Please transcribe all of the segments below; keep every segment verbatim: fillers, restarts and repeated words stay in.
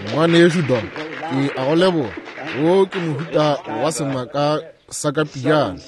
Ngwanešu Don, ke a go leboga. Wo ke mohuta wa semaka sa ka pijana.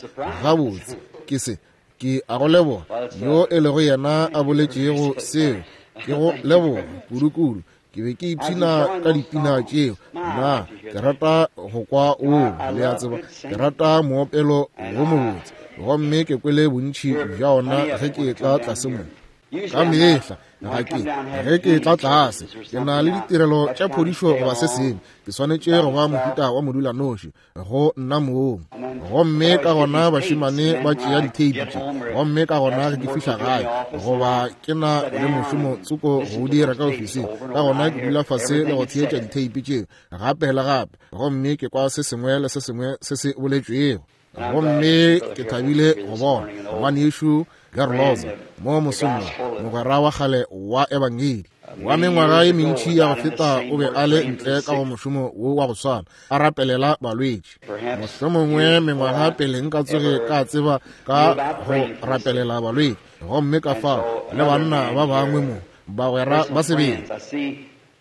Gabotse, ke se. Ke a go leboga. Yo e lego yena a boletšego seo. Ke go leboga kudu-kudu. Ke be ke ipshina ka dipina tšeo. Nna ke rata go kwa o, le a tseba, ke rata moopelo wo mobotse. Gomme ke kwele bontši bja ona ge ke etla tlase mo. Ka mehla ga ke ge ke etla tlase ke na le ditirelo tša phodišo goba se sengwe, ke swanetše go ba mohuta wa modulanoši go nna mong. Gomme ka gona bašemane ba tšea ditheipi tše, gomme ka gona ge ke fihla gae goba ke na le mošomo tsoko go o dira ka ofising, ka gona ke dula fase le go theetša ditheipi tšeo gape le gape, gomme ke kwa se sengwe le se sengwe se se boletšwego. Gomme ke thabile go bona ngwanešu Garloza mo mosong, mogwera wa kgale wa Ebangedi wa mengwaga ye mentši ya go feta, o be a le ntle ka go mošomo wo wa go swana, a rapelela balwetši. Mohlomongwe mengwaga pele nka tsoge ka tseba ka go rapelela balwetši, gomme ka fao le banna ba bangwe mo, bagwera ba sebele.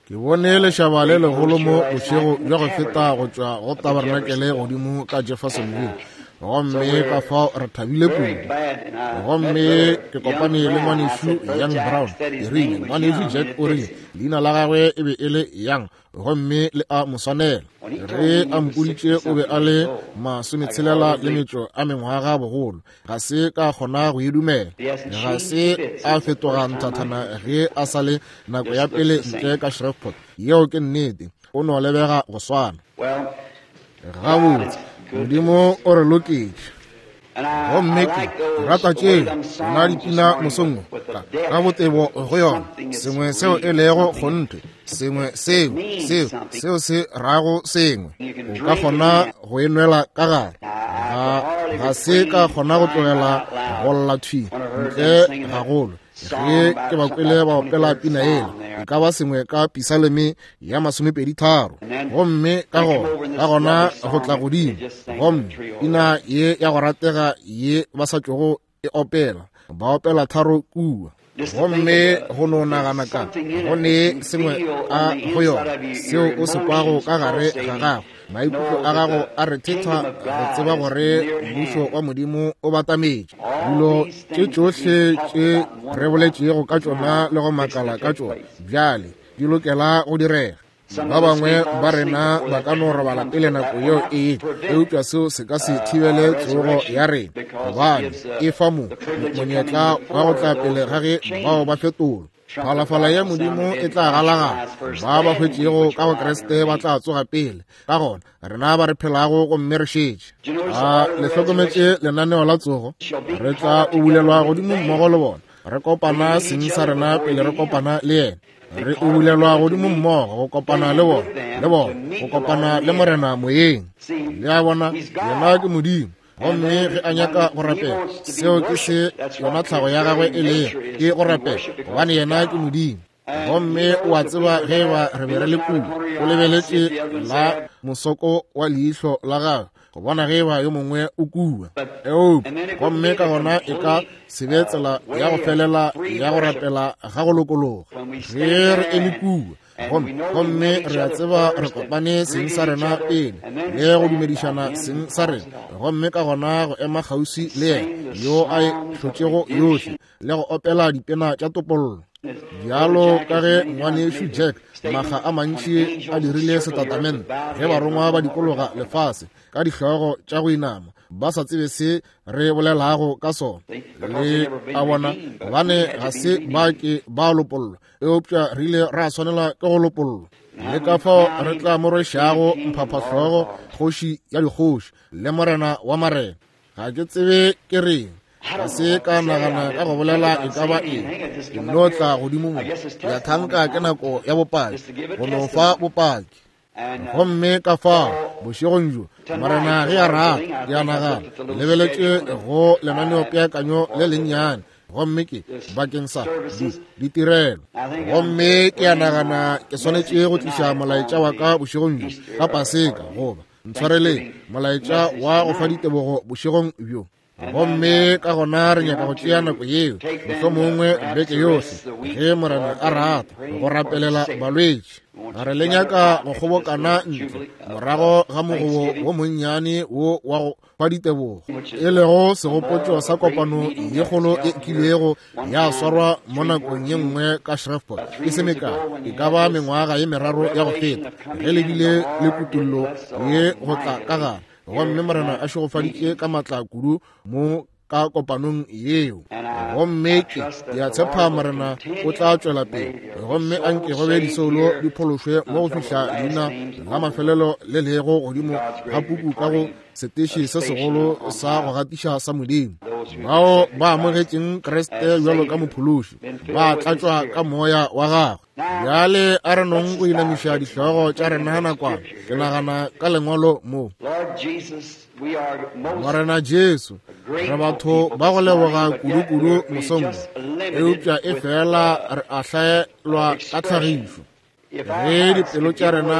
Ke bone lešaba le legolo mo bošego bja go feta go tšwa go tabernakel godimo ka Jeffersonville, gomme ka fao re thabile kudu. Gomme ke kopane le ngwanešu Young Brown. Ke rile, ngwanešu Jack o rile leina la gagwe e be e le Young, gomme le a mo swanela. Ge a mpoditše o be a le masometshelela le metšo a mengwaga bogolo, ga se ka kgona go e dumela. Ga se a fetoga nthathana ge a sa le nako ya pele ntle ka Shreveport. Yeo ke nnete, o no lebega go swana. Gabotse, Modimo o re loketše. Gomme ke rata tšeo nna dipina mosong ka, ka botebo go yona, sengwe seo e lego kgonthe, sengwe seo seo seo se rago sengwe, o ka kgona go e nwela ka gare. Ga, ga se ka kgona go tlogela go lla thwi ntle gagolo ge ke ba kwele ba opela pina ela, e ka ba sengwe ka Pisaleme ya masomepedi tharo. Gomme ka gona ka gona go tla godimo, gomme pina ye ya go ratega ye ba sa tšogo e opela, ba opela tharo kua. Gomme go no nagana ka go ne sengwe ka go yona seo o se kwago ka gare ga gago, maikutlo a gago a re thetha go tseba gore mmušo wa Modimo o batametše. Dilo tše tšohle tše re boletšego ka tšona le go makala ka tšona bjale di lokela go direga. Ba bangwe ba rena ba ka no robala pele nako yeo e etla, eupša seo se ka se thibele tsogo ya rena, gobane e fa mo monyetla wa go tla pele ga ge bao ba fetolwa. Phalafala ya Modimo e tla galagala, ba ba hwetšego ka go Kriste ba tla tsoga pele. Ka gona rena ba re phelago gomme re šetše. A le hlokometše lenaneo la tsogo? Re tla ubulelwa godimo mmogo le bona, re kopana seng sa rena pele re kopana le yena. Re ubulelwa godimo mmogo go kopana le bona, le bona go kopana le Morena moyeng. Le a bona, yena ke Modimo. Gomme ge a nyaka go rapela, seo ke se yona tlhago ya gagwe e lego, ke go rapela, gobane yena ke Modimo. Gomme o a tseba ge ba re be re le kua, o lebeletše la mosoko wa leihlo la gagwe go bona ge ba yo mongwe o kua. Eupša gomme ka gona e ka se be tsela ya go felela ya go rapela ga go lokologa ge re eme kua. Gomme, gomme re a tseba re kopane seng sa rena pele le go dumedišana seng sa rena, gomme ka gona go ema kgauswi le yena yo a e hlotšego yohle le go opela dipina tša topollo. Bjalo ka ge ngwanešu Jack makga a mantši a dirile setatamente ge barongwa ba dikologa lefase ka dihlogo tša go inama, ba sa tsebe se re bolelago ka sona. Le a bona, gobane ga se ba ke ba lopollwa, eupša re ile ra swanela ke go lopollwa. Le ka fao re tla mo rwešago mphaphahlogo, kgoši ya dikgoši le morena wa marena. Ga ke tsebe ke reng, ga se ka nagana ka go bolela e ka ba eng. Ke nno tla godimo mo, ke a thanka ke nako ya bopaki, go no fa bopaki. Gomme ka fao bošegong bjo, Morena ge a rata, ke a nagana lebeletše go lenaneopeakanyo le lennyane, gomme ke bakeng sa di ditirelo. Gomme ke a nagana ke swanetše go tliša molaetša wa ka bošegong bjo ka Paseka, goba ntshwareleng, molaetša wa go fa ditebogo bošegong bjo. Gomme ka gona re nyaka go tšea nako yeo, mohlomongwe beke yohle, ge Morena a rata, go rapelela balwetši. Ga re le nyaka go kgobokana ntle morago ga mogobo wo monnyane wo wa go fa ditebogo, e lego segopotšo sa kopano ye kgolo e kilego ya swarwa mo nakong ye nngwe ka Shreveport e se mekae, e ka ba mengwaga ye meraro ya go feta, ge le bile le kutollo ye go tla ka gare. Gomme Morena a šegofaditše ka matla kudu mo ka kopanong yeo. Gomme ke a tshepa Morena o tla tšwela pele, gomme a nke go be disoulo di phološwe mo go fihla leina la mafelelo le lego godimo ga puku ka go seteše se segolo sa go gatiša sa Modimo. Bao ba amogetšeng Kriste bjalo ka mophološi ba tlatšwa ka moya wa gagwe. Bjale a re nong go inamiša dihlogo tša rena nakwana. Ke nagana ka lengwalo mo. Morena Jesu, re batho ba go leboga kudu-kudu mosong, eupša e fela re a hlaelwa ka tlhagišo. Ge dipelo tša rena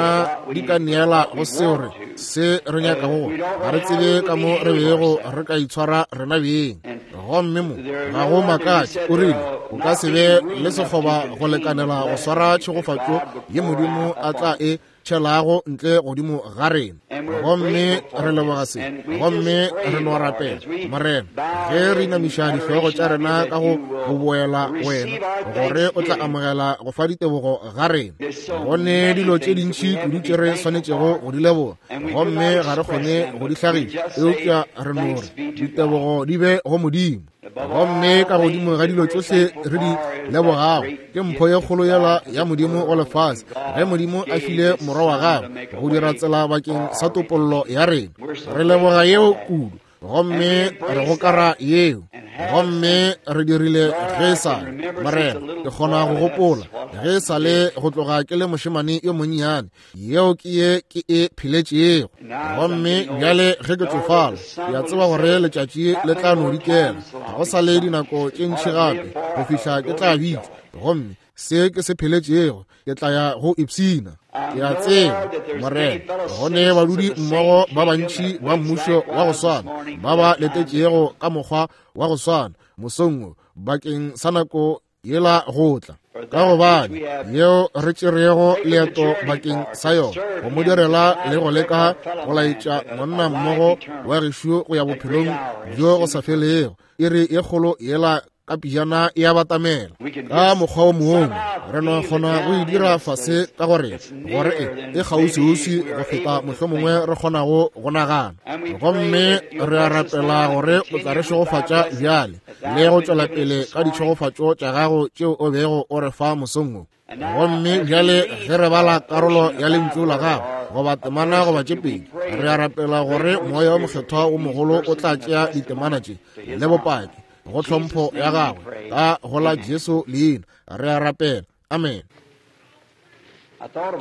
di ka neela go seo re se re nyakago, ga re tsebe ka mo re bego re ka itshwara rena beng. Gomme mo ga go makatše, o rile o ka se be le sekgoba go lekanela go swara tšhegofatšo ye Modimo a tla e tšhelago ntle godimo ga rena. Gomme re leboga se, gomme re no rapela Morena, ge re inamiša dihlogo tša rena ka go go boela wena, gore o tla amogela go fa ditebogo ga rena. Go ne dilo tše dintši kudu tše re swanetšego go di leboga, gomme ga re kgone go di hlagiša, eupša re no re ditebogo di be go Modimo. Gomme ka godimo ga dilo tšohle re di lebogago ke mpho ye kgolo yela ya Modimo go lefase, ge Modimo a file morwa wa gagwe go dira tsela bakeng sa topollo ya rena. Re leboga yeo kudu, gomme re gokara yeo, gomme re dirile ge sa Morena. Ke kgona go gopola ge sa le go tloga ke le mošemane yo monnyane, yeo ke ye ke e pheletšego. Gomme bjale ge ke tsofala, ke a tseba gore letšatši le tla no dikela, ga go sa le dinako tše ntši gape go fihla ke tla bitšwa, gomme se ke se pheletšego ke tla ya go ipshina. Ke a tseba Morena, go ne badudi mmogo ba bantši ba mmušo wa go swana ba ba letetšego ka mokgwa wa go swana mosong wo bakeng sa nako yela go tla, ka gobane yeo re tšerego leeto bakeng sa yona go mo direla le go leka go laetša monna mmogo wa gešo go ya bophelong bjo go sa felego. Iri ye kgolo yela ka pijana e a batamela. Ka mokgwa o mongwe re no kgona go e dira fase ka gore gore e e kgauswiuswi go feta mohlomongwe re kgonago go nagana. Gomme re a rapela gore o tla re šegofatša bjale le go tšwela pele ka ditšhegofatšo tša gago tšeo o bego o re fa mosong wo. Gomme bjale ge re bala karolo ya lentšu la gago, goba temana goba tše pedi, re a rapela gore moya o mokgethwa wo mogolo o tla tšea ditemana tše le bopaki go tlhompho ya gagwe ka go la Jesu leina re a rapela, amen.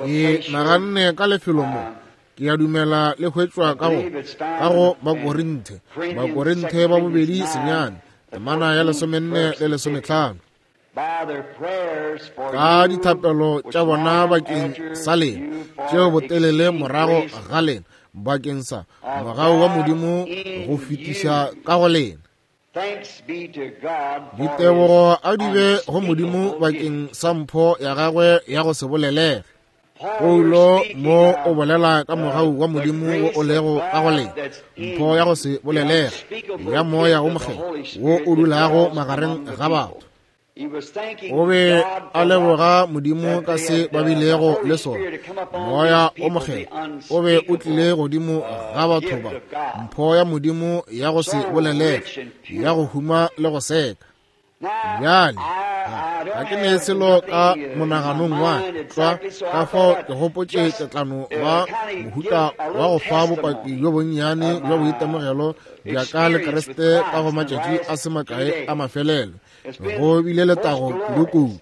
Ke naganne ka lefelo mo, ke a dumela le hwetšwa ka go ka go Bakorinthe, Bakorinthe ba bobedi senyane, temana ya lesomenne le lesometlhano. Ka dithapelo tša bona bakeng sa lena tšeo botelele morago ga lena bakeng sa mogau wa Modimo go fetiša ka go lena. Ditebogo a di be go Modimo bakeng sa mpho ya gagwe ya go se bolelege. Paulo mo o bolela ka mogau wa Modimo wo o lego ka go lena, mpho ya go se bolelege ya moya wo mokgethwa wo o dulago magareng ga batho. O be a leboga Modimo ka se ba bilego le sona. Moya o mokgethwa o be o tlile godimo ga batho ba, mpho ya Modimo ya go se bolelege, ya go huma le go seka. Bjale ga ke ne selo ka monaganong wa tlwa, ka fao ke gopotše ke tla no ba mohuta wa go fa bopaki bjo bonnyane bja boitemogelo bja ka le Kriste ka go matšatši a se makae a mafelelo. Go bile letago kudu-kudu.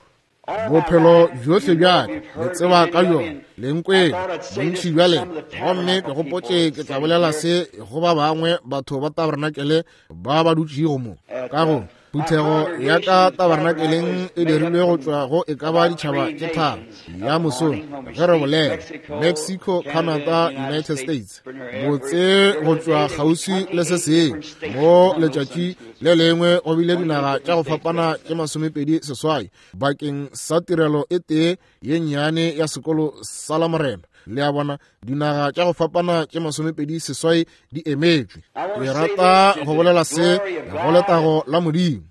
Bophelo bjohle bja ka le tseba ka bjona, le nkwele bontši bja lena. Gomme ke gopotše ke tla bolela se go ba bangwe batho ba tabernakelé ba ba dutšego mo ka go Phuthego ya ka tabernakeleng e dirilwe go tšwa go e ka ba ditšhaba tše tharo ya mosong ge re bolela Mexico, Canada, United States, botse go tšwa kgauswi le se sengwe mo letšatši le lengwe go bile dinaga tša go fapana tše masomepedi seswai bakeng sa tirelo e tee ye nnyane ya sekolo sa Lamorena. Le a bona, dinaga tša go fapana tše masomepedi seswai di emetšwe. Ke rata go bolela se go letago la Modimo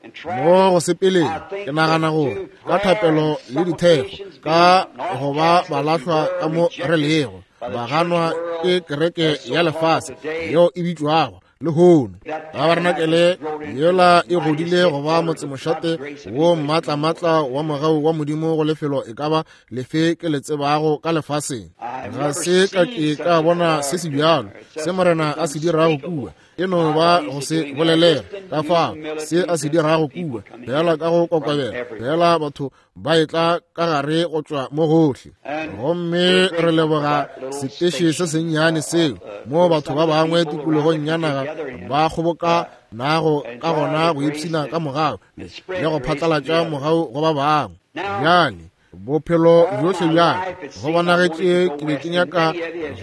mo go sepeleng. Ke nagana gore ka thapelo le dithekgo, ka go ba balahlwa ka mo re lego, ba ganwa ke kereke ya lefase yeo e bitšwago lehono. Tabernakelé yela e godile go ba motsemošate wo maatlamatla wa mogau wa Modimo go lefelo e ka ba lefe ke le tsebago ka lefaseng. Ga se ka ke ka bona se se bjalo se Morena a se dirago kua, e no ba go se bolelela ka fao se a se dirago kua, fela ka go kokobela, fela batho ba etla ka gare go tšwa mo gohle. Gomme re leboga seteše se sennyane seo mo batho ba bangwe tikologong ya naga ba kgoboka nago ka gona go ipshina ka mogau le go phatlalatša mogau go ba bangwe. Bjale bophelo bjohle bjaka go bonagetše ke be ke nyaka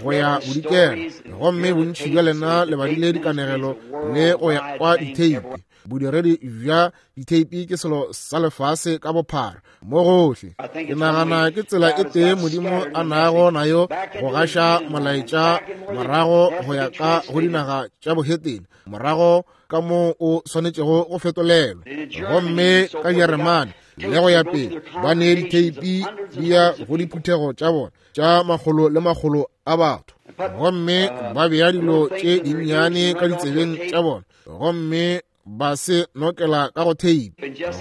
go ya bodikela, gomme bontši bja lena le badile dikanegelo le go ya kwa ditheipi. Bodiredi bja ditheipi ke selo sa lefase ka bophara mo gohle. Ke nagana ke tsela e tee Modimo a nago nayo go gaša molaetša morago go ya ka go dinaga tša bohetene, morago ka mo o swanetšego go fetolelwa. Gomme ka Jeremane le go ya pele ba ne ditheipi di ya go diphuthego tša bona tša makgolo le makgolo a batho, gomme ba bea dilo tše dinnyane ka ditsebeng tša bona gomme ba se nokela ka go theipi.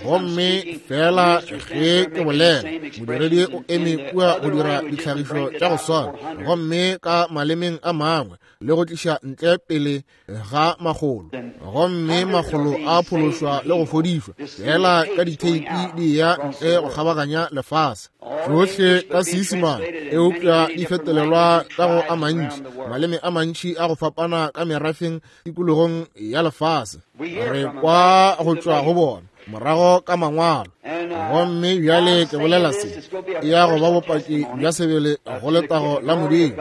Gomme fela ge ke bolela, modiredi o eme kua go dira ditlhagišo tša go swana, gomme ka malemeng a mangwe, le go tliša ntle pele ga makgolo, gomme makgolo a phološwa le go fodišwa fela ka ditheipi di ya ntle go kgabaganya lefase. Tšohle ka Seisemane, eupša di fetolelwa ka go a mantši, maleme a mantši a go fapana ka merafeng tikologong ya lefase. Re kwa go tšwa go bona morago ka mangwalo. Gomme bjale ke bolela se e ya go ba bopaki bja sebele go letago la Modimo,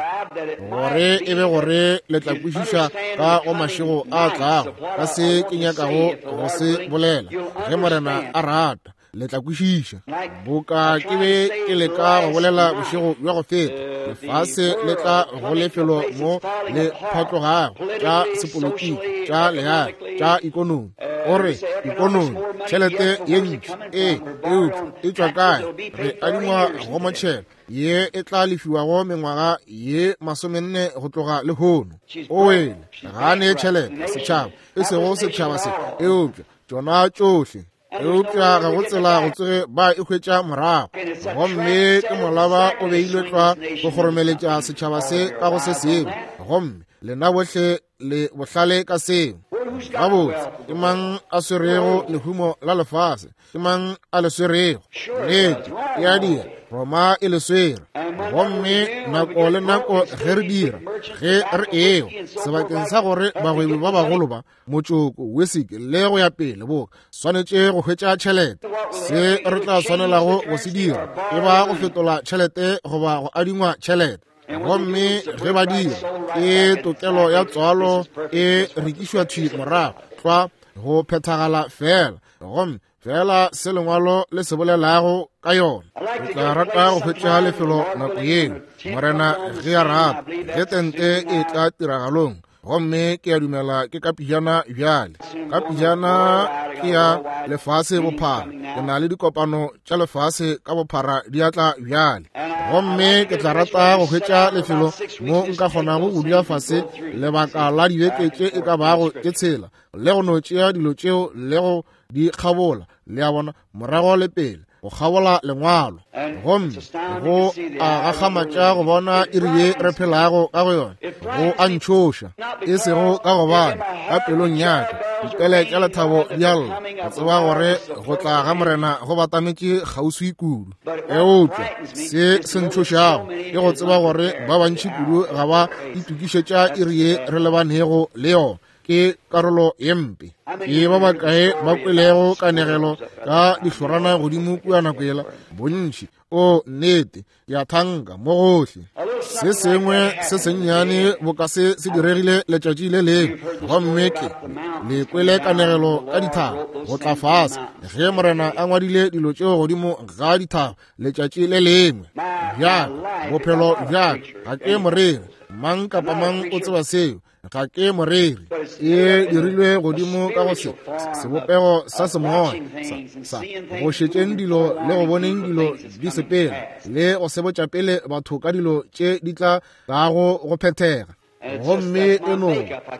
gore e be gore le tla kwešiša ka go mašego a tlago ka se ke nyakago go se bolela. Ge Morena a rata, le tla kwešiša. Boka ke be ke leka go bolela bošego bja go feta, lefase le tla go lefelo mo le phatlogago tša sepolotiki, tša leago, tša ikonomi. O re ikonomi, tšhelete ye ntši, ee, eupša e tšwa kae? Re adingwa go motšhelo ye e tla lefiwago mengwaga ye masomenne go tloga lehono. O wele ga ne tšhelete setšhaba, e sego setšhaba se, eupša tšona tšohle. Eupša ga go tsela go tsoge ba e hwetša morago. Gomme ke molaba o beilwe tlwa go kgoromeletša setšhaba se ka go se sengwe, gomme lena bohle le bohlale ka seo. Gabotse, ke mang a swerego lehumo la lefase? Ke mang a le swerego? Nnete, e a dira, Roma e le swere. Gomme nako le nako ge re dira, ge re ewa sebakeng sa gore bagwebi ba bagolo ba motšoko, whisky le go ya pele boka swanetše go hwetša tšhelete, se re tla swanelago go se dira e ba go fetola tšhelete goba go adingwa tšhelete. Gomme ge ba dira, ke tokelo ya tswalo e rekišwa thwi morago tlwa go phethagala fela, gomme fela se lengwalo le se bolelago ka yona. Ke tla rata go hwetša lefelo nako yeo, Morena ge a rata, ge tente e tla tiragalong. Gomme ke a dumela ke ka pijana bjale, ka pijana ke ya lefase bophara. Ke na le dikopano tša lefase ka bophara di atla bjale, gomme ke tla rata go hwetša lefelo mo nka kgonago go dula fase lebaka la dibeke tše e ka bago tše tshela, le go no tšea dilo tšeo le go di kgabola, le a bona, morago le pele, go kgabola lengwalo. Gomme go a gakgamatša go bona iri ye re phelago ka go yona. Go a ntšhoša, e sego ka gobane ka pelong ya ka dipele tša lethabo di a lla, go tseba gore go tla ga Morena go batametše kgauswi kudu. Eupša se se ntšhošago ke go tseba gore ba bantši kudu ga ba itokišetša iri ye re lebanego le yona. Ke karolo ye mpe. Ke ba bakae ba kwelego kanegelo ka dihlorana godimo kua nako yela? Bontši. O nnete, ke a thanka mo gohle. Se sengwe se sennyane boka se se diregile letšatši le lengwe, gomme ke le kwele kanegelo ka dithaba go tla fase ge Morena a ngwadile dilo tšeo godimo ga dithaba letšatši le lengwe. Bjaka bophelo bjaka ga ke moreri, mang kapa mang o tseba seo, ga ke moreri. E dirilwe godimo ka go se sebopego sa semoya sa, sa go šetšeng dilo le go boneng dilo di sepela le go sebotša pele batho ka dilo tše di tla tlago go phethega. Gomme eno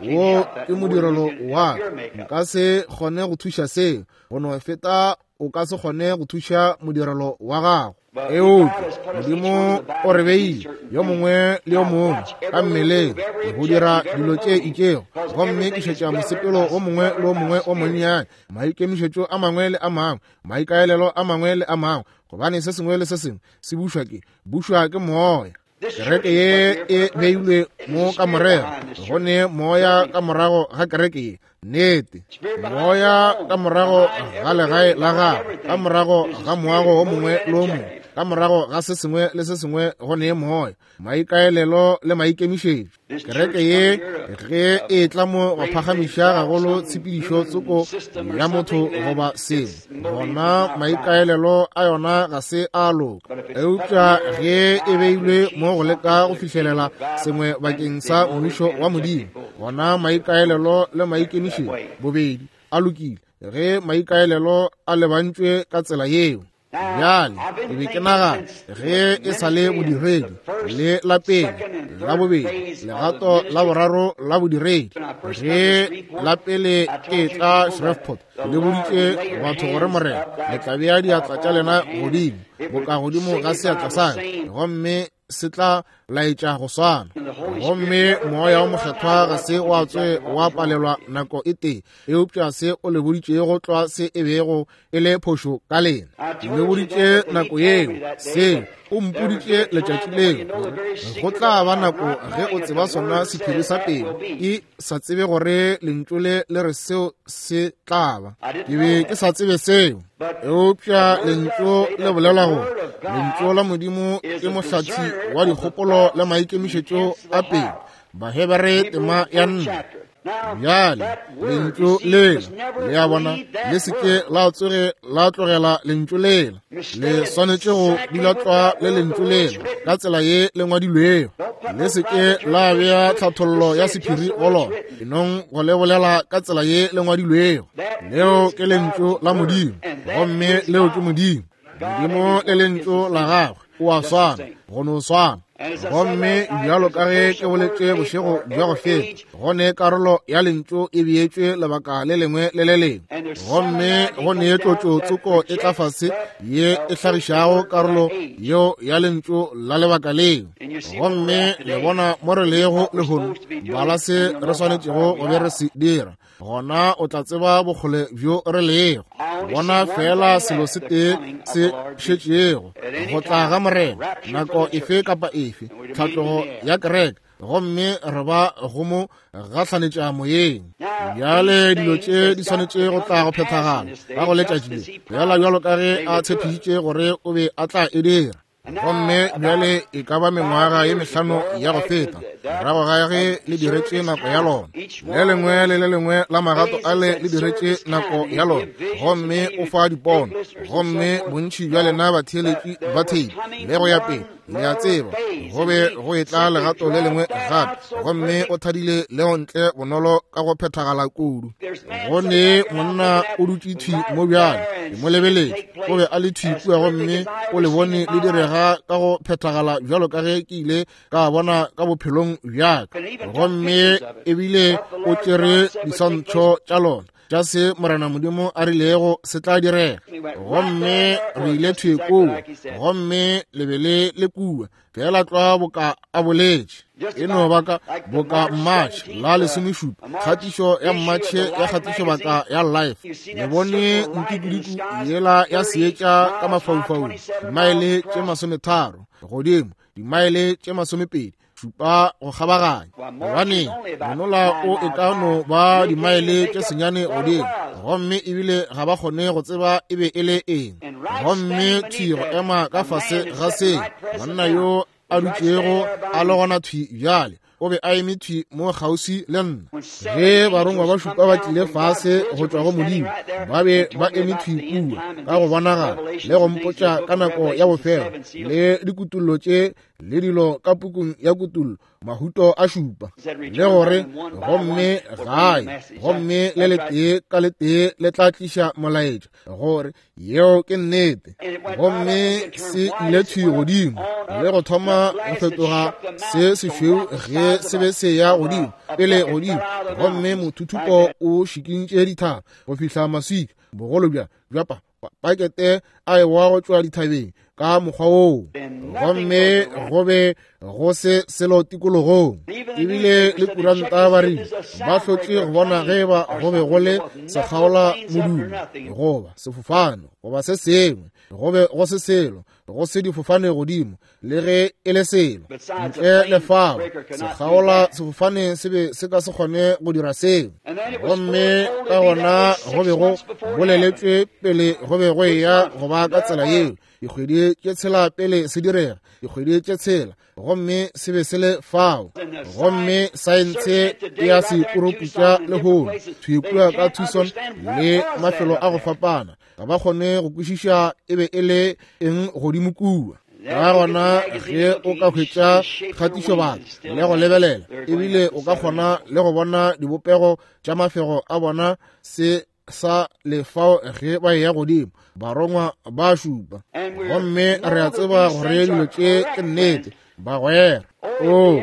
wo ke modirelo wa ka, nka se kgone go thuša seo, go no feta o ka se kgone go thuša modirelo wa gago. Eupša Modimo o re beile yo mongwe le yo mongwe ka mmeleng go dira dilo tše itšego, gomme ke šetša mosepelo o mongwe le o mongwe o monnyane, maikemišetšo a mangwe le a mangwe, maikaelelo a mangwe le a mangwe, gobane se sengwe le se sengwe se bušwa ke bušwa ke moya. Kereke ye e beilwe mo ka morero, go ne moya ka morago ga kereke ye. Nnete, moya ka morago ga legae la gago, ka morago ga moago o mongwe le o mongwe, ka morago ga se sengwe le se sengwe go ne moya, maikaelelo le maikemišetšo. Kereke ye ge e tla mo go phagamiša gagolo tshepedišo tsoko ya motho goba sengwe, gona maikaelelo a yona ga se a loka. Eupša ge e beilwe mo go leka go fihlelela sengwe bakeng sa mmušo wa Modimo, gona maikaelelo le maikemišetšo bobedi a lokile ge maikaelelo a lebantšwe ka tsela yeo. Bjale ke be ke nagana ge e sa le bodiredi le la pele, la bobedi, legato la boraro la bodiredi. Ge la pele ke tla Shreveport, le boditše batho gore Morena le tla bea diatla tša lena godimo boka godimo ga seatla sa ka, gomme se tla laetša go swana. Gomme moya o mokgethwa ga se wa tswe wa palelwa nako e tee, eupša se o le boditšego tlwa se e bego e le phošo ka lena. Ke le boditše nako yeo, seo o mpoditše letšatši leo, gore go tla ba nako ge o tseba sona sephiri sa pelo, e sa tsebe gore lentšu le le re seo se tla ba. Ke be ke sa tsebe seo, eupša lentšu le bolela gore lentšu la Modimo ke mohlathi wa dikgopolo le maikemišetšo a pelo. Bahebere tema ya nne. Bjale lentšu lela, le a bona, le se ke la tsoge la tlogela lentšu lela, le swanetše go dula tlwa le lentšu lela ka tsela ye le ngwadilwego. Le se ke la bea tlhathollo ya sephiri go lona, enong go le bolela ka tsela ye le ngwadilwego. Leo ke lentšu la Modimo, gomme leo ke Modimo. Modimo le lentšu la gagwe o a swana, go no swana. Gomme bjalo ka ge ke boletše bošego bja go feta, go ne karolo ya lentšu e beetšwe lebaka le lengwe le le lengwe, gomme go ne tlotšo tsoko e tla fase ye e hlagišago karolo yeo ya lentšu la lebaka leo. Gomme le bona mo re lego lehono, bala se re swanetšego go be re se dira, gona o tla tseba bokgole bjo re lego. Bona fela selo se tee se šetšego, go tla ga Morena nako efe kapa efe, tlhatlogo ya kereke, gomme re ba go mo gahlanetša moyeng. Bjale dilo tše di swanetše go tla go phethagala ka go letšatši le, fela bjalo ka ge a tshepišitše gore o be a tla e dira. Gomme bjale e ka ba mengwaga ye mehlano ya go feta, morago ga ge le diretše nako ya lona, le lengwe le le lengwe la magato ale le diretše nako ya lona, gomme o fa dipono, gomme bontši bja lena batheeletši ba theipi le go ya pele, le a tseba go be go etla legato le lengwe gape, gomme o thadile leo ntle bonolo ka go phethagala kudu. Go ne monna o dutše thwi mo bjale, ke mo lebeletše, o be a le thwi kua, gomme o le bone le direga ka go phethagala bjalo ka ge ke ile ka bona ka bophelong bjaka. Gomme ebile o tšere diswantšho tša lona tša se Morena Modimo a rilego se tla direga. Gomme re ile thwi kua, gomme le be le le kua fela tlwa boka a boletše. E no ba ka boka Matšhe la lesomešupa, kgatišo ya Matšhe ya kgatišo baka ya Life. Le bone nkukudiku yela ya seetša ka mafaufaung, dimaele tše masometharo godimo, dimaele tše masomepedi šupa go kgabaganya. Gobane monola o e ka no ba dimaele tše senyane godimo, gomme ebile ga ba kgone go tseba e be e le eng. Gomme thwi go ema ka fase ga se, monna yo a dutšego a le gona thwi bjale, o be a eme thwi mo kgauswi le nna. Ge barongwa ba šupa ba tlile fase go tšwa go Modimo, ba be ba eme thwi kua ka go bonagala le go mpotša ka nako ya bofelo le dikutullo tše le dilo ka pukung ya kutullo, mahuto a šupa, le gore gomme gae, gomme le letee ka letee le tla tliša molaetša, gore yeo ke nnete. Gomme se ile thwi godimo le go thoma go fetoga se sešweu ge se be se ya godimo pele godimo, gomme mothuthupo o šikintše dithaba go fihla maswika bogolo bja bja pa pakete a ewa go tšwa dithabeng ka mokgwa woo, gomme go be go se selo tikologong. Ebile le kuranta ba rile ba hlotše go bona ge ba go be go le sekgaola modumo goba sefofane goba se sengwe, go be go se selo, go se difofane godimo le ge e le selo ntle le fao. Sekgaola sefofane se be se ka se kgone go dira seo. Gomme ka gona go be go boleletšwe pele go be go eya go ba ka tsela yeo, dikgwedi tše tshela pele se direga, dikgwedi tše tshela, gomme se be se le fao. Gomme saense ya se puruputša lehono thwi kua ka Tucson le mafelo a go fapana, ga ba kgone go kwešiša e be e le eng godimo kua. Ka gona ge o ka hwetša kgatišobaka le go lebelela, ebile o ka kgona le go bona dibopego tša mafego a bona se sa lefao ge ba eya godimo, barongwa ba šupa. Gomme re a tseba gore dilo tše ke nnete, bagwera. O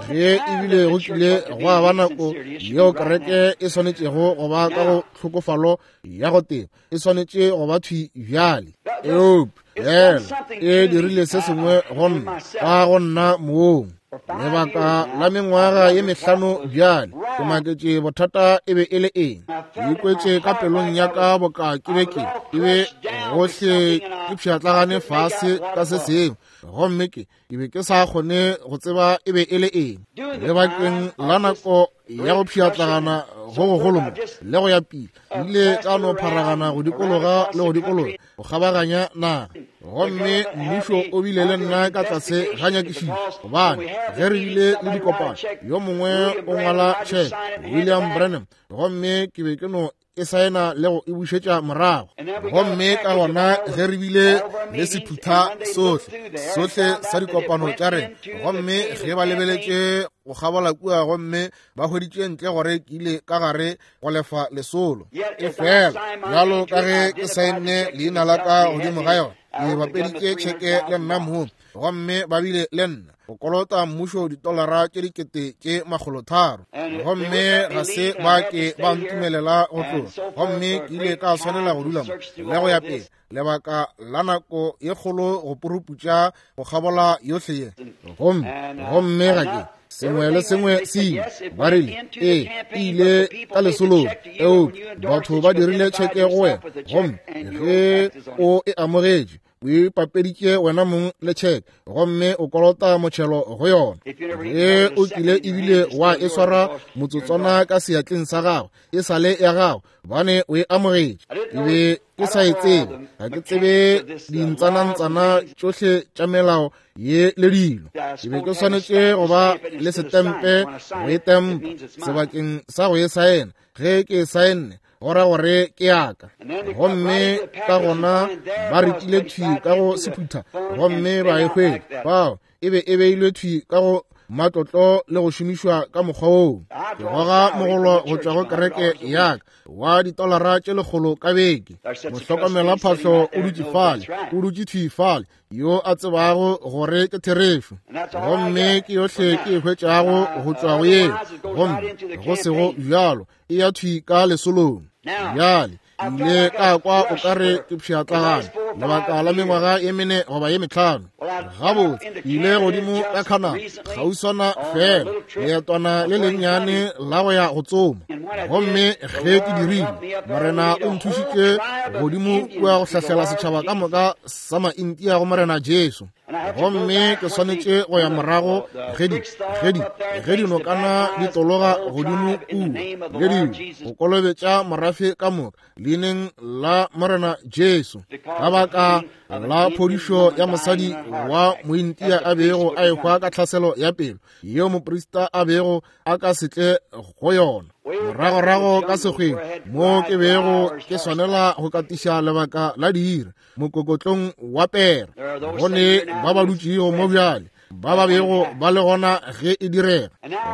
ge ebile go kile gwa ba nako yeo kereke e swanetšego go ba ka go tlhokofalo ya go teba, e swanetše go ba thwi bjale. Eupša fela e dirile se sengwe go nna, ka go nna mong. Lebaka la mengwaga ye mehlano bjale, ke maketše bothata e be e le eng. Ke ikwetše ka pelong ya ka boka ke be ke ke be gohle ke pšhatlagane fase ka se sengwe, gomme ke ke be ke sa kgone go tseba e be e le eng. Lebakeng la nako ya go pšhatlagana go gogolo mo le go ya pele, ke ile ka no pharagana go dikologa le go dikologa go kgabaganya naga. Gomme mmušo o bile le nna ka tlase ga nyakišišo, gobane ge re bile le dikopano, yo mongwe o ngwala tšheke, William Branham, gomme ke be ke no e saena le go e bušetša morago. Gomme ka gona ge re bile le sephutha sohle sohle sa dikopano tša rena, gomme ge ba lebeletše go kgabola kua, gomme ba hweditše ntle gore ke ile ka gare go lefa lesolo. E fela bjalo ka ge ke saenne leina la ka godimo ga yona, ke bapeditše tšheke le nna mong, gomme ba bile le nna go kolota mmušo ditolara tše dikete tše makgolo tharo, gomme ga se ba ke ba ntumelela go tloga. Gomme ke ile ka swanela go dula mo le go ya pele lebaka la nako ye kgolo go puruputša go kgabola yohle ye. Gomme gomme ga ke sengwe le sengwe se ile, ba rile ee e ile ka lesolong, eupša batho ba dirile tšheke go wena, gomme ge o e amogetše o ipapeditše wena mong le tšheke, gomme o kolota motšhelo go yona. Ge o kile ebile wa e swara motsotswana ka seatleng sa gago, e sale ya gago, bane o e amogetše. Ke be ke sa e tsebe, ga ke tsebe dintsanantsana tšohle tša melao ye le dilo. Ke be ke swanetše go ba le setempe go e tempa sebakeng sa go e saena. Ge ke e saenne, go ra gore ke yaka. Gomme ka gona ba re tile thwi ka go sephutha, gomme ba e hwetša fao e be e beilwe thwi ka go matlotlo le go šomišwa ka mokgwa woo. Ke goga mogolo go tšwa go kereke yaka wa ditolara tše lekgolo ka beke. Mohlokomela phahlo o dutše fale, o dutše thwi fale, yo a tsebago gore ke therešo. Gomme ke yohle ke e hwetšago go tšwa go yeo, gomme go sego bjalo e ya thwi ka lesolong. Bjale ile ka kwa o ka re ke pšhatlagane lebaka la mengwaga ye mene goba ye mehlano. Gabotse ke ile godimo ka Canada kgauswana fela, leetwana le lennyane la go ya go tsoma. Gomme ge ke dirile, Morena o nthušitše godimo kua go hlahlela setšhaba ka moka sa Maintia go Morena Jesu. Gomme ke swanetše go ya morago ge di, ge di, ge dinokana di tologa godimo kua le dilo, go kolobetša morafe ka moka leineng la Morena Jesu, ka baka la phodišo ya mosadi wa Mointia a bego a ehwa ka tlhaselo ya pelo yeo moprista a bego a ka se tle go yona. Moragorago ka sekgweng mo ke bego ke swanela go katiša lebaka la diiri mokokotlong wa pere, go ne ba ba dutšego mo bjale ba ba bego ba le gona ge e direga.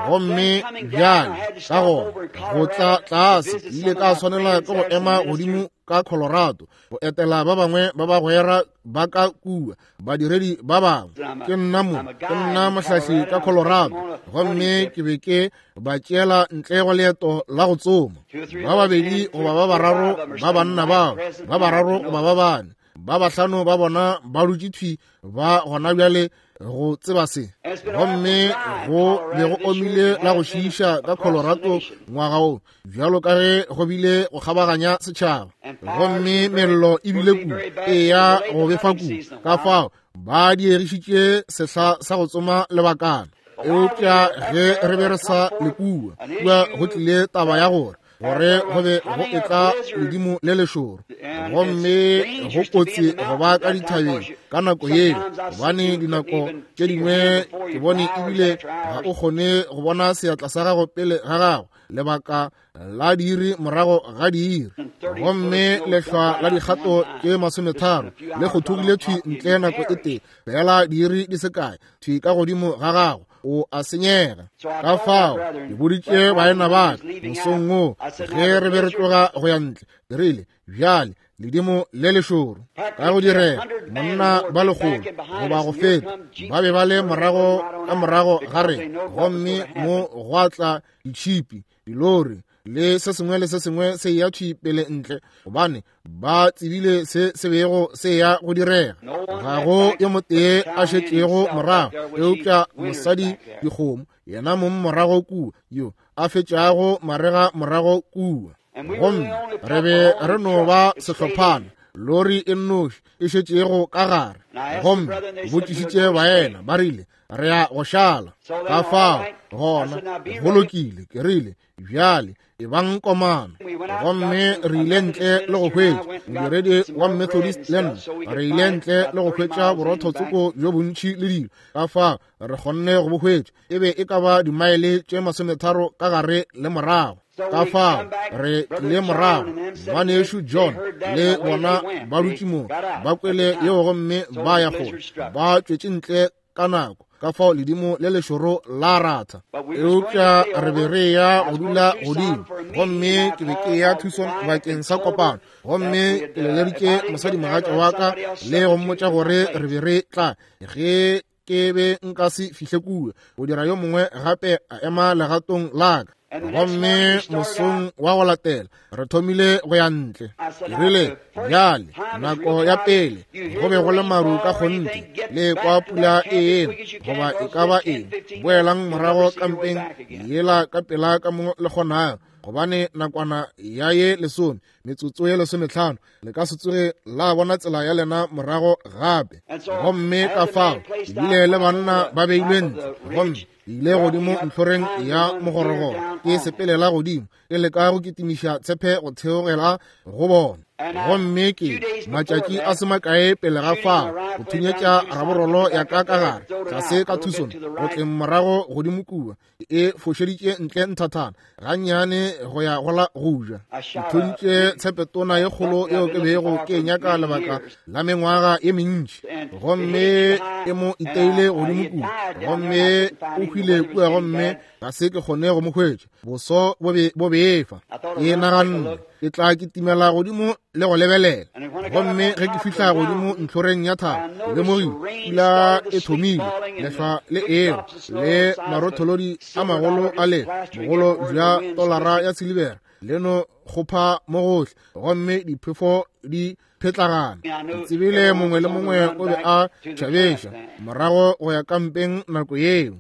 Gomme bjale ka gona go tla tlase ke ile ka swanela ke go ema godimo ka Colorado go etela ba bangwe ba bagwera ba ka kua, badiredi ba bangwe. Ke nna mo, ke nna mohlahli ka Colorado, gomme ke be ke ba tšeela ntle go leeto la go tsoma. Ba babedi goba ba bararo ba banna bao, ba bararo goba ba bane, ba bahlano ba bona ba dutše thwi ba gona bjale go tseba se. Gomme go be go omile la go šiiša ka Colorado ngwaga wo, bjalo ka ge go bile go kgabaganya setšhaba. Gomme mello e bile kudu, e ya go befa kudu, ka fao ba diegišitše sehla sa go tsoma lebakana. Eupša ge re be re sa le kua, kua go tlile taba ya gore gore go be go etla ledimo le lešoro, gomme go kotsi go ba ka dithabeng ka nako yeo, gobane dinako tše dingwe ke bone ebile ga o kgone go bona seatla sa gago pele ga gago lebaka la diiri morago ga diiri. Gomme lehlwa la dikgato tše masometharo le kgothogile thwi ntle nako e tee fela diiri di se kae thwi ka godimo ga gago, o a senyega. Ka fao ke boditše baena ba ka mosong wo ge re be re tloga go ya ntle, ke rile, bjale ledimo le lešoro ka go direga, monna ba lekgolo goba go feta ba be ba le morago ka morago ga rena, gomme mo gwa tla ditšhipi, dilori le se sengwe le se sengwe se ya thwi pele ntle, gobane ba tsebile se se bego se ya go direga. Ga go yo motee a šetšego morago eupša mosadi dikgomo, yena mong morago kua, yo a fetšago marega morago kua. Gomme re be re no ba sehlophana, lori e nnoši e šetšego ka gare. Gomme botšišitše baena, ba rile re ya go šala. Ka fao gona go lokile, ke rile, bjale e bang komana. Gomme re ile ntle le go hwetša modiredi wa Methodist le nna, re ile ntle le go hwetša borotho tsoko bjo bontši le dilo, ka fao re kgonne go bo hwetša. E be e ka ba dimaele tše masometharo ka gare le morago. Ka fao re tlile morago, ngwanešu John le bona ba dutše moo, ba kwele yeo gomme ba ya kgole, ba tšwetše ntle ka nako. Ka fao ledimo le lešoro la ratha. Eupša re be re ya go dula godimo, gomme ke be ke ya Tucson bakeng sa kopano, gomme ke leleditše mosadimogatša wa ka le go mmotša gore re be re tla ge ke be nka se fihle kua go dira yo mongwe gape a ema legatong la ka. Gomme mosong wa go latela re thomile go ya ntle. Ke rile, bjale nako ya pele go be go le maru ka kgonthe, le kwa pula e ena goba e ka ba eng, boelang morago kampeng yela ka pela ka mo le kgonago, gobane nakwana ya ye lesome, metsotso ye lesometlhano, le ka se tsoge la bona tsela ya lena morago gape. Gomme ka fao ebile le banna ba beilwe ntle, gomme ile godimo ntlhoreng ya mogorogoro, ke sepelela godimo ke leka go kitimiša tshepe go theogela go bona. Gomme ke matšatši a se makae pele ga fao go thunyetša raborolo ya ka ka gare tlase ka Tucson go tleng morago godimo kua, e fošeditše ntle nthathana gannyane go ya go la go ja. Ke thuntše tshepetona ye kgolo yeo ke bego ke nyaka lebaka la mengwaga ye mentši, gomme e mo iteile godimo kua, gomme o hwile kua, gomme ga se ke kgone go mo hwetša, boso bo be bo befa. Ke naganne ke tla kitimela godimo le go lebelela. Gomme ge ke fihla godimo ntlhoreng ya thaba, ke lemogile pula e thomile, lehlwa le eo le marotholodi a magolo a le bogolo bja tolara ya silibera le no kgopha mo gohle, gomme diphefo di phetlagana. Ke tsebile mongwe le mongwe o be a tšhabeša morago go ya kampeng nako yeo.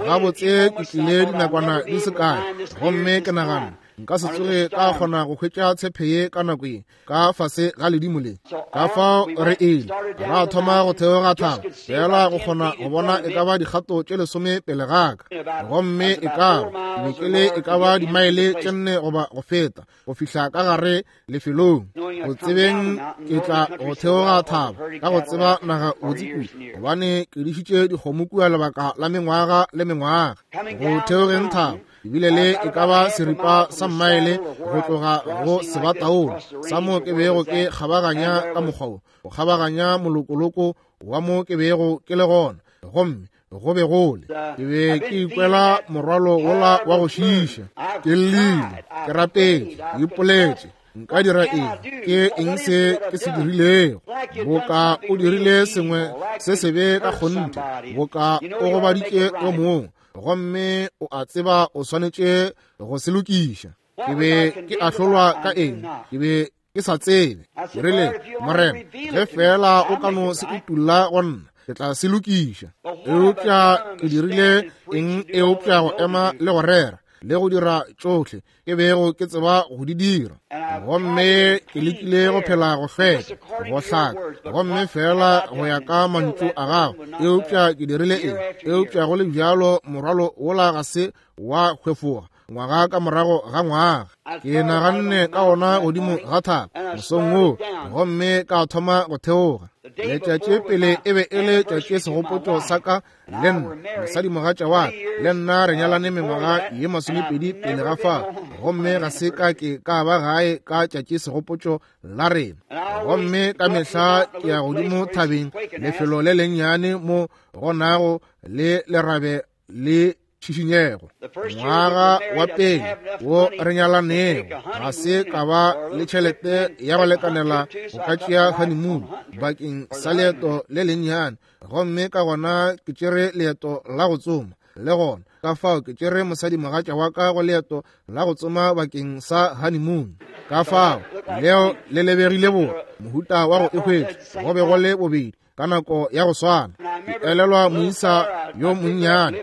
Gabotse ke tlile dinakwana di se kae, gomme ke nagana Nka se tsoge ka kgona go hwetša tshepe ye ka nako ye ka fase ga ledimo le. Ka fao re ile ra thoma go theoga thaba, fela go kgona go bona e ka ba dikgato tše lesome pele ga ka. Gomme e ka ba ke be ke le e ka ba dimaele tše nne goba go feta go fihla ka gare lefelong. Go tsebeng ke tla go theoga thaba ka go tseba naga botse kudu, gobane ke dišitše dikgomo kua lebaka la mengwaga le mengwaga. Go theogeng thaba ebile le e ka ba seripa sa mmaele go tloga go sebataolo sa mo ke bego ke kgabaganya ka mokgwa wo, go kgabaganya molokoloko wa mo ke bego ke le gona. Gomme go be gole ke be ke ikwela morwalo wola wa go šiiša. Ke llile, ke rapetše, ke ipoletše, nka dira eng? Ke eng se ke se dirilego? Boka o dirile sengwe se sebe ka kgonthe, boka o gobaditše yo mongwe, gomme o a tseba o swanetše go se lokiša. Ke be ke ahlolwa ka eng? Ke be ke sa tsebe. Ke rile, Morena, ge fela o ka no se utulla go nna, ke tla se lokiša. Eupša ke dirile eng eupša go ema le go rera le go dira tšohle ke bego ke tseba go di dira. Gomme ke lekile go phela go hlweka, go hlaka, gomme fela go ya ka mantšu a gago. Eupša ke dirile eng? Eupša go le bjalo morwalo wola ga se wa hwefoga ngwaga ka morago ga ngwaga. Ke naganne ka ona godimo ga thaba mosong woo, gomme ka thoma go theoga. Letšatši pele e be e le tšatši segopotšo sa ka le nna, mosadimogatša wa ka le nna re nyalane mengwaga ye masomepedi pele ga fao, gomme ga se ka ke ka ba gae ka tšatši segopotšo la rena. Gomme ka mehla ke ya godimo thabeng, lefelo le lennyane mo go nago le lerabe le tšhišinyego. Ngwaga wa pele wo re nyalanego ga se ka ba le tšhelete ya go lekanela go ka tšea honeymoon bakeng sa leeto le lennyane, gomme ka gona ke tšere leeto la go tsoma le gona. Ka fao ke tšere mosadimogatša wa ka go leeto la go tsoma bakeng sa honeymoon. Ka fao leo le lebegile bo mohuta wa go e hwetša, go be go le bobedi ka nako ya go swana. Ke elelwa moisa yo monnyane,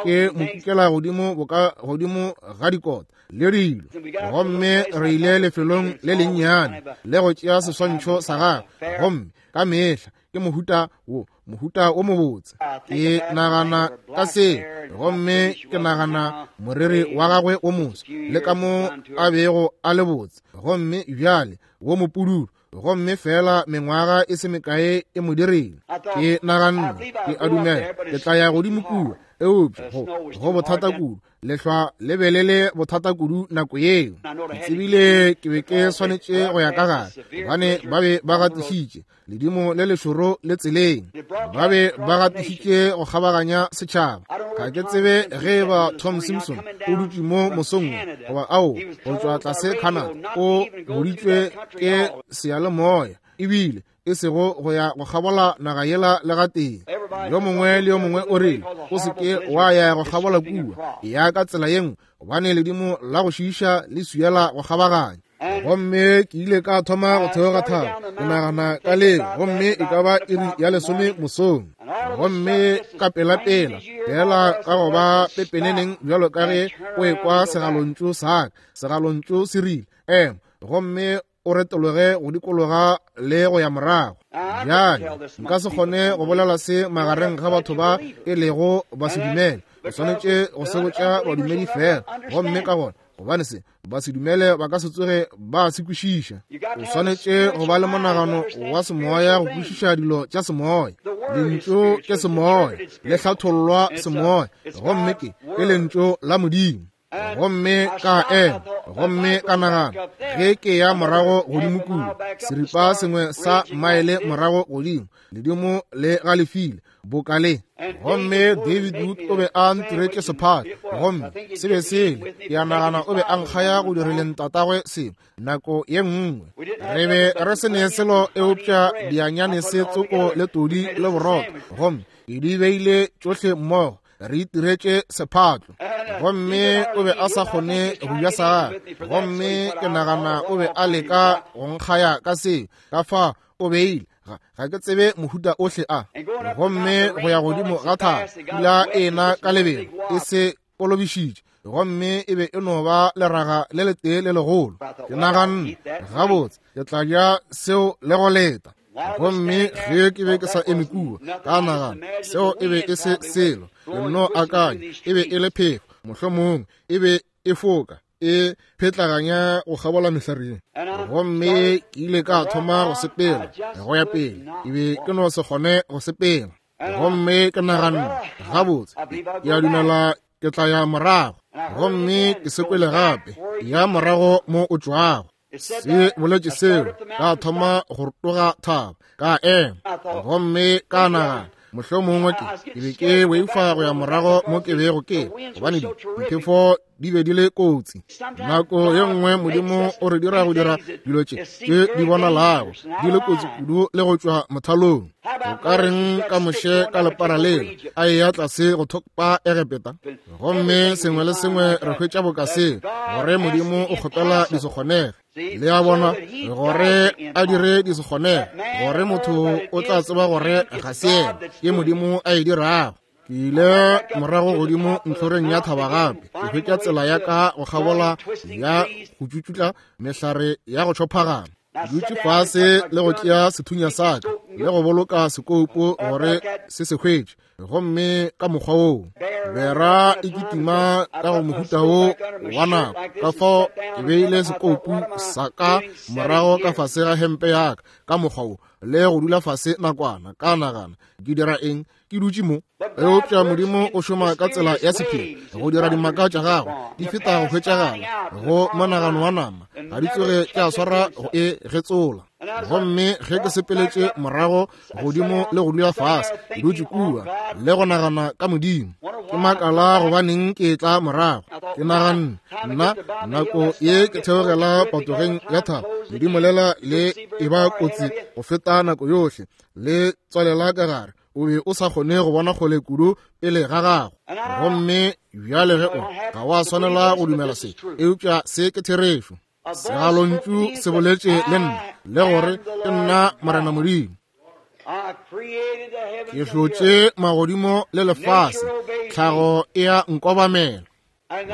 ke ke mo kukela godimo boka godimo ga dikota le dilo, gomme re ile lefelong le lennyane le go tšea seswantšho sa gagwe. Gomme ka mehla ke mohuta wo, mohuta wo mobotse. Ke nagana ka se, gomme ke nagana moriri wa gagwe wo moso le ka mo a bego a le botse, gomme bjale wo mopududu, gomme fela mengwaga e se mekae e mo dirile. Ke naganne, ke a dumela ke tla ya godimo kua, eupša go go bothata kudu, lehlwa le be le le bothata kudu nako yeo. Ke tsebile ke be ke swanetše go ya ka gare, gobane ba be ba gatišitše ledimo le lešoro le tseleng, ba be ba gatišitše go kgabaganya setšhaba. Ga ke tsebe ge e ba Tom Simpson o dutše mo mosong goba ao go tšwa tlase Canada, o boditšwe ke seyalemoya ebile e sego go ya go kgabola naga yela le gatee. Yo mongwe le yo mongwe o rile, o se ke wa ya go kgabola kua, ya ka tsela ye nngwe, gobane ledimo la go šiiša le swiela go kgabaganya. Gomme ke ile ka thoma go theoga thaba, ke nagana ka leo, gomme e ka ba iri ya lesome mosong. Gomme ka pelapela fela ka go ba pepeneneng bjalo ka ge o ekwa segalontšu sa ka, segalontšu se rile, ema, gomme o retologe go dikologa le go ya morago. Bjale nka se kgone go bolela se magareng ga batho ba e lego ba se dumele. O swanetše go se botša badumedi fela, gomme ka gona gobane se ba se dumele ba ka se tsoge ba se kwešiša. O swanetše go ba le monagano wa semoya go kwešiša dilo tša semoya. Lentšu ke semoya, le hlathollwa semoya, gomme ke ke lentšu la Modimo. Gomme ka ema, gomme ka nagana ge ke ya morago godimo kua, seripa sengwe sa maele morago godimo, ledimo le galefile boka le. Gomme David Wood o be a ntiretše sephatlo, gomme se be sele, ke a nagana o be a nkgaya go dirileng tatagwe sengwe nako ye nngwe. Re be re se ne selo eupša dianyane se tsoko le todi le borotho, gomme ke di beile tšohle mmogo, re itiretše sephatlo. Gomme o be a sa kgone go ja sa gagwe, gomme ke nagana o be a leka go nkgaya ka seo. Ka fa o beile, ga ke tsebe mohuta ohle a. Gomme go ya godimo ga thaba, pula e na ka lebelo, e se kolobišitše, gomme e be e no ba leraga le letee le legolo. Ke naganne, gabotse, ke tla ja seo le go leta. Gomme ge ke be ke sa eme kua, ka nagana seo e be e se selo. Ke nno akanya e be e le phefo, mohlomongwe e be e foka e phetlaganya go kgabola mehlareng. Gomme ke ile ka thoma go sepela go ya pele, ke be ke no se kgone go sepela. Gomme ke naganne, gabotse, ke a dumela ke tla ya morago. Gomme ke se kwele gape, ya morago mo o tšwago. Se boletše seo, ka thoma go rotoga thaba, ka ema. Gomme ka nagana, mohlomongwe ke ke be ke boifa go ya morago mo ke bego ke, gobane diphefo di be di le kotsi. Nako ye nngwe Modimo o re dira go dira dilo tše tše di bonalago di le kotsi kudu le go tšwa mothalong. O ka reng ka Moshe ka lepara lela a eya tlase go thopa Egepeta? Gomme sengwe le sengwe re hwetša boka seo, gore Modimo o kgopela di se kgonege. Le a bona, gore a dire di se kgonege, gore motho o tla tseba gore ga se yena, ke Modimo a e dirago. Ke ile morago godimo ntlhoreng ya thaba gape, ke hwetša tsela ya ka go kgabola ya go tšutšutla mehlare ya go tšhophagana. Ke dutše fase le go tšea sethunya sa ka le go boloka sekoupo gore se se hwetše. Gomme ka mokgwa woo bera e kitima ka go mohuta wo wa nako. Ka fao ke beile sekoupu sa ka morago ka fase ga hempe ya ka ka mokgwa wo, le go dula fase nakwana. Ka nagana, ke dira eng ke dutše mo? Eupša Modimo o šoma ka tsela ya sephiri go dira dimaka tša gagwe di feta go hwetšagala go monagano wa nama, ga di tsoge tša swara go e getsola. Gomme ge ke sepeletše morago godimo le go dula fase, ke dutše kua le go nagana ka Modimo. Ke makala gobaneng ke tla morago. Ke naganne, nna nako ye ke theogela patogeng ya thaba, ledimo lela le e ba kotsi go feta nako yohle, le tswalela ka gare, o be o sa kgone go bona kgole kudu pele ga gago. Gomme bjale ge o ga wa swanela go dumela se, eupša se ke therešo. Segalontšu se boletše le nna, le gore ke nna Morena Modimo. Ke hlotše magodimo le lefase, tlhago e a nkobamela.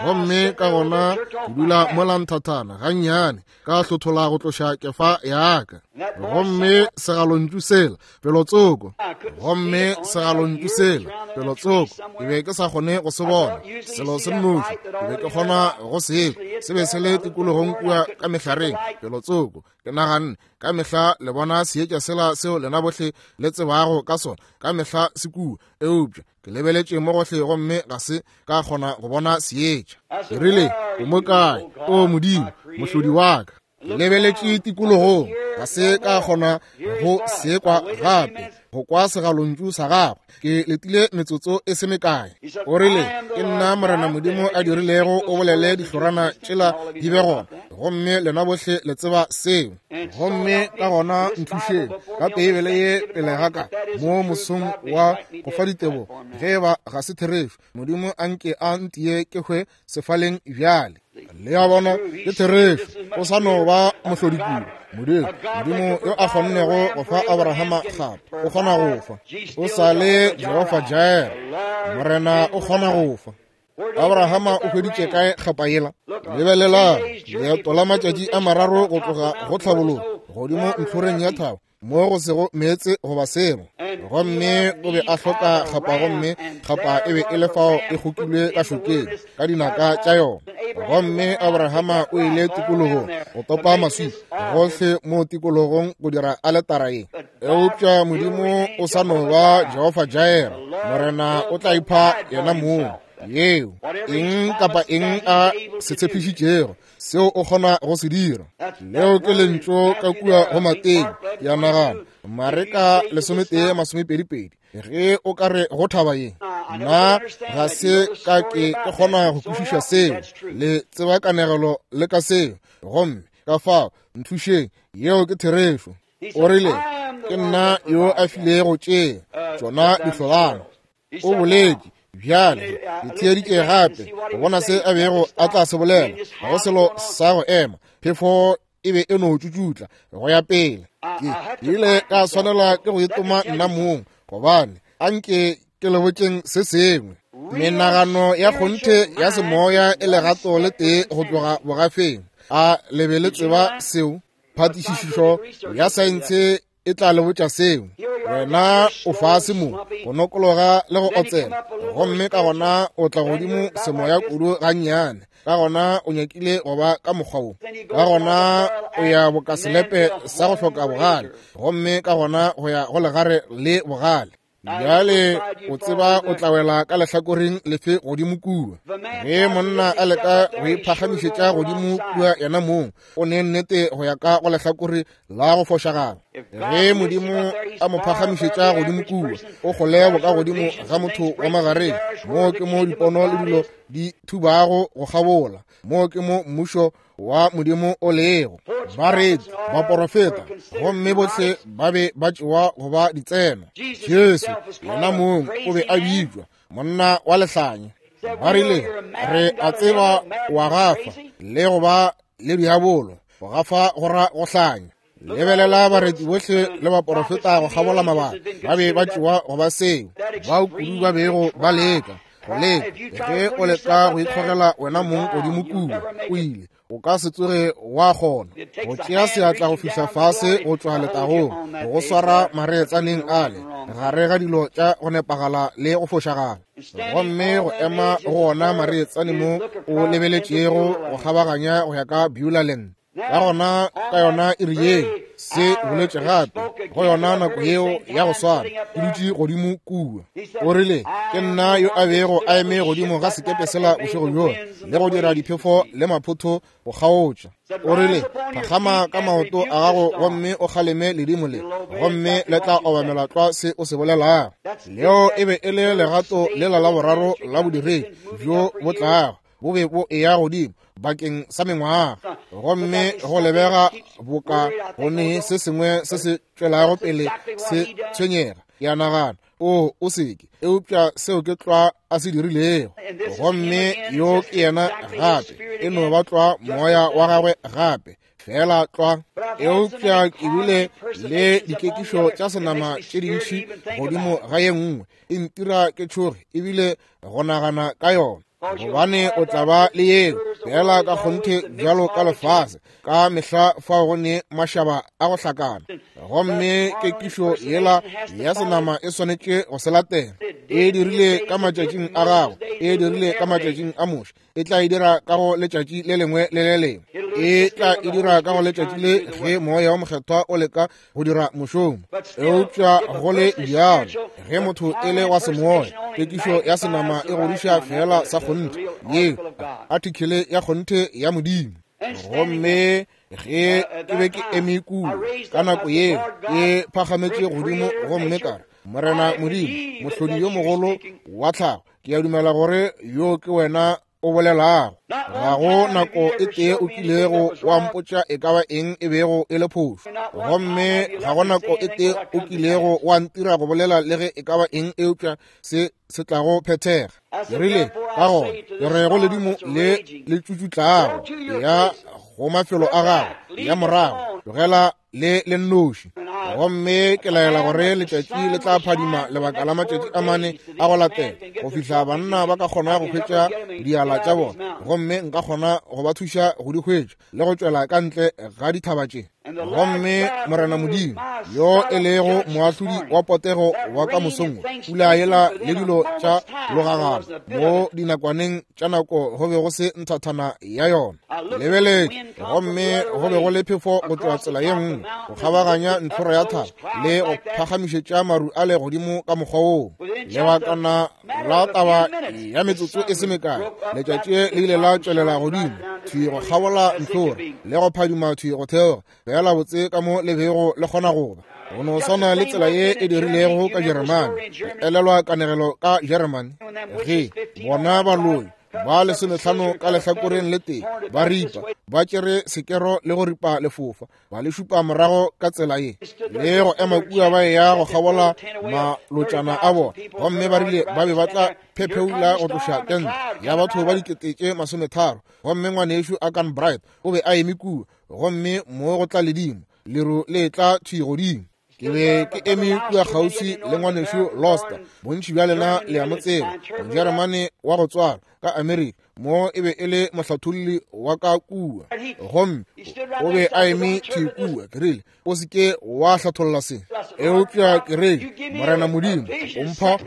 Gomme ka gona ke dula mola nthathana gannyane, ka hlothola go tloša kefa ya ka. Gomme segalontšu sela pelotsoko, gomme segalontšu sela pelotsoko, ke be ke sa kgone go se bona, selo se nnoši ke be ke kgona go se kwa, se be se le tikologong kua ka mehlareng pelotsoko. Ke naganne, ka mehla le bona seetša sela seo lena bohle le tsebago ka sona, ka mehla se kua, eupša ke lebeletše mo gohle gomme ga se ka kgona go bona seetša. Ke rile, o mo kae, o Modimo, mohlodi wa ka? Ke lebeletše tikologong, ga se ka kgona go se kwa gape, go kwa segalontšu sa gagwe. Ke letile metsotso e se mekae. O rile, ke nna Morena Modimo a dirilego o bolele dihlorana tšela di be gona, gomme lena bohle le tseba seo. Gomme ka gona nthušeng ka Beibele ye pele ga ka mo mosong wa go fa ditebogo, ge eba ga se therešo, Modimo a nke a ntie ke hwe sefaleng bjale. Le a bona, ke therešo, o sa no ba mohlodi kudu. Modimo, Modimo yo a kgonnego go fa Abrahama kgapa, o kgona go fa. O sa le Jehofa Jireh, Morena o kgona go fa. Abrahama o hweditše kae kgapa yela? Lebelelang, leeto la matšatši a mararo go tloga go tlhabologo godimo ntlhoreng ya thaba, mo go sego meetse goba selo. Gomme o be a hloka kgapa, gomme kgapa e be e le fao e kgokilwe ka šokeng ka dinaka tša yona. Gomme Abrahama o ile tikologong go topa maswika gohle mo tikologong go dira aletara ye. Eupša Modimo o sa no ba Jehofa Jireh, Morena o tla ipha yena mong. Yeo eng kapa eng a se tshepišitšego, seo o kgona go se dira. Leo ke lentšu ka kua go Mateo, ya nagana, Mareka lesometee masomepedi pedi, ge o ka re go thaba ye, nna ga se ka ke ke kgona go kwešiša seo. Le tseba kanegelo le ka seo, gomme ka fao nthušeng, yeo ke therešo. O rile, ke nna yo a filego tše tšona dihlolana. O boletše bjale, ke theeditše gape go bona se a bego a tla se bolela. Ga go selo sa go ema, phefo e be e no tšutšutla go ya pele. Ke ile ka swanela ke go itoma nna mong, gobane a nke ke le botšeng se sengwe. Menagano ya kgonthe ya semoya e legato le tee go tloga bogafeng. A le be le tseba seo? Phatišišo ya saense e tla le botša seo. Wena o fase mo, go nokologa le go otsela, gomme ka gona o tla godimo semoya kudu gannyane. Ka gona o nyakile go ba ka mokgwa wo. Ka gona o ya boka selepe sa go hloka bogale, gomme ka gona go ya go legare le bogale. Bjale o tseba o tla wela ka lehlakoreng lefe godimo kua. Ge monna a leka go iphagamišetša godimo kua yena mong, o ne nnete go ya ka go lehlakore la go fošagala. Ge Modimo a mo phagamišetša godimo kua, o kgole boka godimo ga motho wa magareng. Moo ke mo dipono le dilo di thubago go kgabola. Moo ke mo mmušo wa Modimo o lego. Bareti, baporofeta, gomme bohle ba be ba tšewa go ba ditseno. Jesu yena mong o be a bitšwa monna wa lehlanya. Ba rile, re a tseba wa gafa le go ba le diabolo. Go gafa go ra go hlanya. Lebelela bareti bohle le baporofeta go kgabola mabaka, ba be ba tšewa go ba seo. Bao kudu ba bego ba leka go leka. Ge o leka go ikgogela wena mong godimo kua, o ile o ka se tsoge wa kgona go tšea seatla go fihla fase go tšwa letagong, go swara mareetsaneng ale gare ga dilo tša go nepagala le go fošagala, gomme go ema go ona mareetsane mo o lebeletšego go kgabaganya go ya ka Beulah Land. Ka gona ka yona iri yeo se boletše gape, go yona nako yeo ya go swana, ke dutše godimo kua. O rile, ke nna yo a bego a eme godimo ga sekepe sela bošego bjola le go dira diphefo le maphotho go kgaotša. O rile, phagama ka maoto a gago gomme o kgaleme ledimo le, gomme le tla obamela tlwa se o se bolelago. Leo e be e le legato lela la boraro la bodiredi bjo bo tlago, bo be bo eya godimo bakeng sa mengwaga, gomme go lebega boka go ne se sengwe se se tšwelago pele se tshwenyega. Ke a nagana, o o seke, eupša seo ke tlwa a se dirilego. Gomme yo ke yena gape, e no ba tlwa moya wa gagwe gape, fela tlwa. Eupša ke bile le dikekišo tša senama tše dintši godimo ga ye nngwe, e ntira ke tšhoge ebile go nagana ka yona, gobane o tla ba le yeo fela ka kgonthe bjalo ka lefase ka mehla fao go ne mašaba a go hlakana. Gomme kekišo yela ya senama e swanetše go se latela. E dirile ka matšatšing a gago, e dirile ka matšatšing a Moshe, e tla e dira ka go letšatši le lengwe le le lengwe, e tla e dira ka go letšatši le ge moya wa mokgethwa o leka go dira mošomo. Eupša go le bjalo, ge motho e le wa semoya, kekišo ya senama e godiša fela sa kgonthe, yeo artikele ya kgonthe ya Modimo. Gomme ge ke be ke eme kua ka nako yeo, ke phagametše godimo gomme ka re, Morena Modimo, mohlodi yo mogolo wa tlhago, ke a dumela gore yo ke wena o bolelago. Ga go nako e tee o kilego wa mpotša e ka ba eng e bego e le phošo, gomme ga go nako e tee o kilego wa ntira go bolela le ge e ka ba eng eupša se se tlago phethega. Ke rile, ka gona ke re go ledimo le le tšutšutlago ya go mafelo a gago ya morago, tlogela le le nnoši. Gomme ke laela gore letšatši le tla phadima lebaka la matšatši a mane a go latela, go fihla banna ba ka kgona go hwetša diala tša bona, gomme nka kgona go ba thuša go di hwetša le go tšwela ka ntle ga dithaba tše. Gomme Morena Modimo, yo e lego moahlodi wa potego wa ka mosong, pula yela le dilo tša logagana mo dinakwaneng tša nako go be go se nthathana ya yona. Lebeletše, gomme go be go le phefo go tšwa tsela ye nngwe go kgabaganya ntlhora ya thaba le go phagamišetša maru a le godimo ka mokgwa woo. Lebakana la taba ya metsotso e se mekae, letšatši le ile la tšwelela godimo thwi go kgabola ntlhora le go phadima thwi go theoga, fela botse ka mo le bego le kgona go ba. Go no swana le tsela ye e dirilego ka Jeremane. Elelwa kanegelo ka Jeremane, ge bona baloi ba lesomehlano ka lehlakoreng le tee ba ripa, ba tšere sekero le go ripa lefofa, ba le šupa morago ka tsela ye le go ema kua ba ya go kgabola malotšana a bona, gomme ba rile ba be ba tla phepheula go tloša tente ya batho ba dikete tše masometharo. Gomme ngwanešu Akan Bright o be a eme kua, gomme mo go tla ledimo leru le tla thwi godimo. Ke be ke eme kua kgauswi le ngwanešu Loster, bontši bja lena le a mo tseba, Mojeremane wa go tswalwa ka Amerika, mo e be e le mohlatholli wa ka kua. Gomme o be a eme thwi kua. Ke rile, o se ke wa hlatholla se. Eupša ke rile, Morena Modimo, o mpha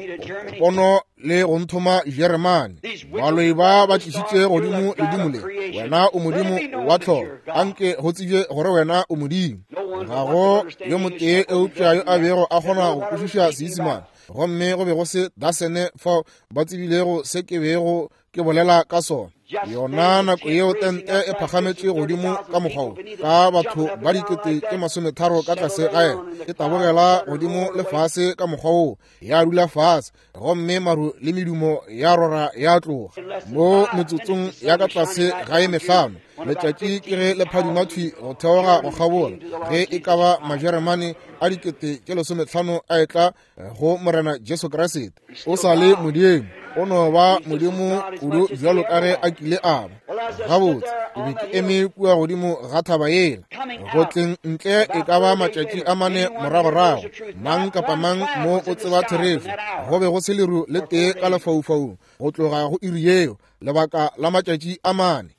pono le go nthoma Jeremane. Baloi ba ba tlišitše godimo ledimo le. Wena o Modimo wa tlholo. Anke go tsebje gore wena o Modimo. Ga go yo motee eupša yo a bego a kgona go kwešiša Seisemane. Gomme go be go se dasene fao ba tsebilego se ke bego ke bolela ka sona. Yona nako yeo tente e phagametše godimo ka mokgwa wo, ka batho ba dikete tše masometharo ka tlase ga yena, e tabogela godimo le fase ka mokgwa wo, ya dula fase, gomme maru le medumo ya rora ya tloga. Mo metsotsong ya ka tlase ga e mehlano, letšatši ke ge le phadima thwi go theoga go kgabola, ge e ka ba Majeremane a dikete tše lesometlhano a etla go Morena Jesu Kriste. O sa le Modimo, o no ba Modimo kudu bjalo ka ge a kile a ba. Gabotse, ke be ke eme kua godimo ga thaba yela, go tleng ntle e ka ba matšatši a mane moragorago. Mang kapa mang mo o tseba therešo, go be go se leru le tee ka lefaufaung go tloga go iri yeo, lebaka la matšatši a mane.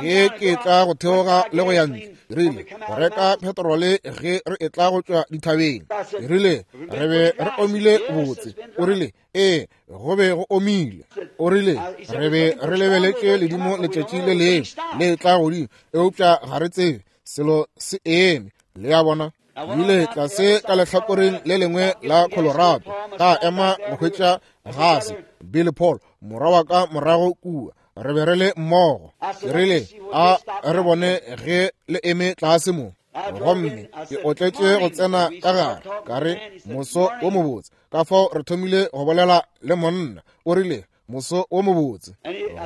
Ge ke tla go theoga le go ya ntle, ke rile go reka petrole ge re etla go tšwa dithabeng. Ke rile re be re omile botse. O rile ee, go be go omile. O rile re be re lebeletše ledimo letšatši le lengwe le tla godimo, eupša ga re tsebe selo se eme. Le a bona? Ile tlase ka lehlakoreng le lengwe la Colorado, ka ema go hwetša gase. Billy Paul, morwa wa ka morago kua, re be re le mmogo. Ke rile a re bone ge le eme tlase mo. Gomme ke otletše go tsena ka gare, ka re moso wo mobotse. Ka fao re thomile go bolela le monna. O rile moso wo mobotse.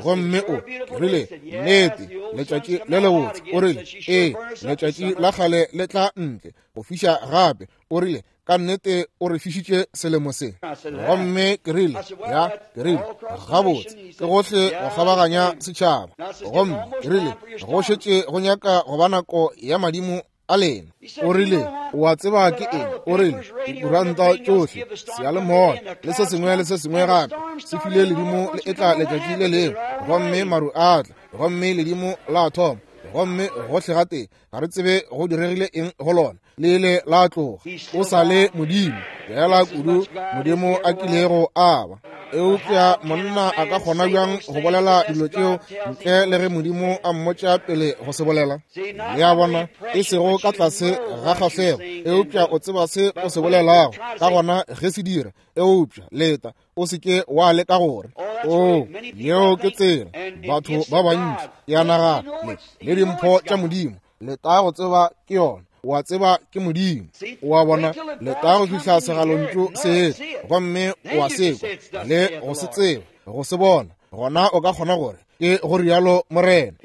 Gomme o ke rile nnete, letšatši le lebotse. O rile ee, letšatši la kgale le tla ntle go fiša gape. O rile ka nnete o re fišitše selemo se. Gomme ke rile ya, ke rile gabotse, ke gohle go kgabaganya setšhaba. Gomme ke rile go šetše go nyaka go ba nako ya madimo a lena. O rile o a tseba ke eng? O rile dikuranta tšohle, seyalemoya le se sengwe le se sengwe gape se file ledimo le etla letšatši le lengwe, gomme maru a tla, gomme ledimo la thoma, gomme gohle gatee ga re tsebe go diregile eng go lona, le ile la tloga. O sa le Modimo, fela kudu Modimo a kilego a ba. Eupša monna a ka kgona bjang go bolela dilo tšeo ntle le ge Modimo a mmotša pele go se bolela? Le a bona, e sego ka tlase ga kgahlego, eupša o tseba se o se bolelago, ka gona ge se dira. Eupša leta, o se ke wa leka gore o yeo ke tsela. Batho ba bantši ya nagana le, le dimpho tša Modimo, leta go tseba ke yona. O a tseba ke Modimo. O a bona, leta go fihla segalontšu se etla, gomme o a se kwa le go se tseba, go se bona, gona o ka kgona gore ke go rialo Morena.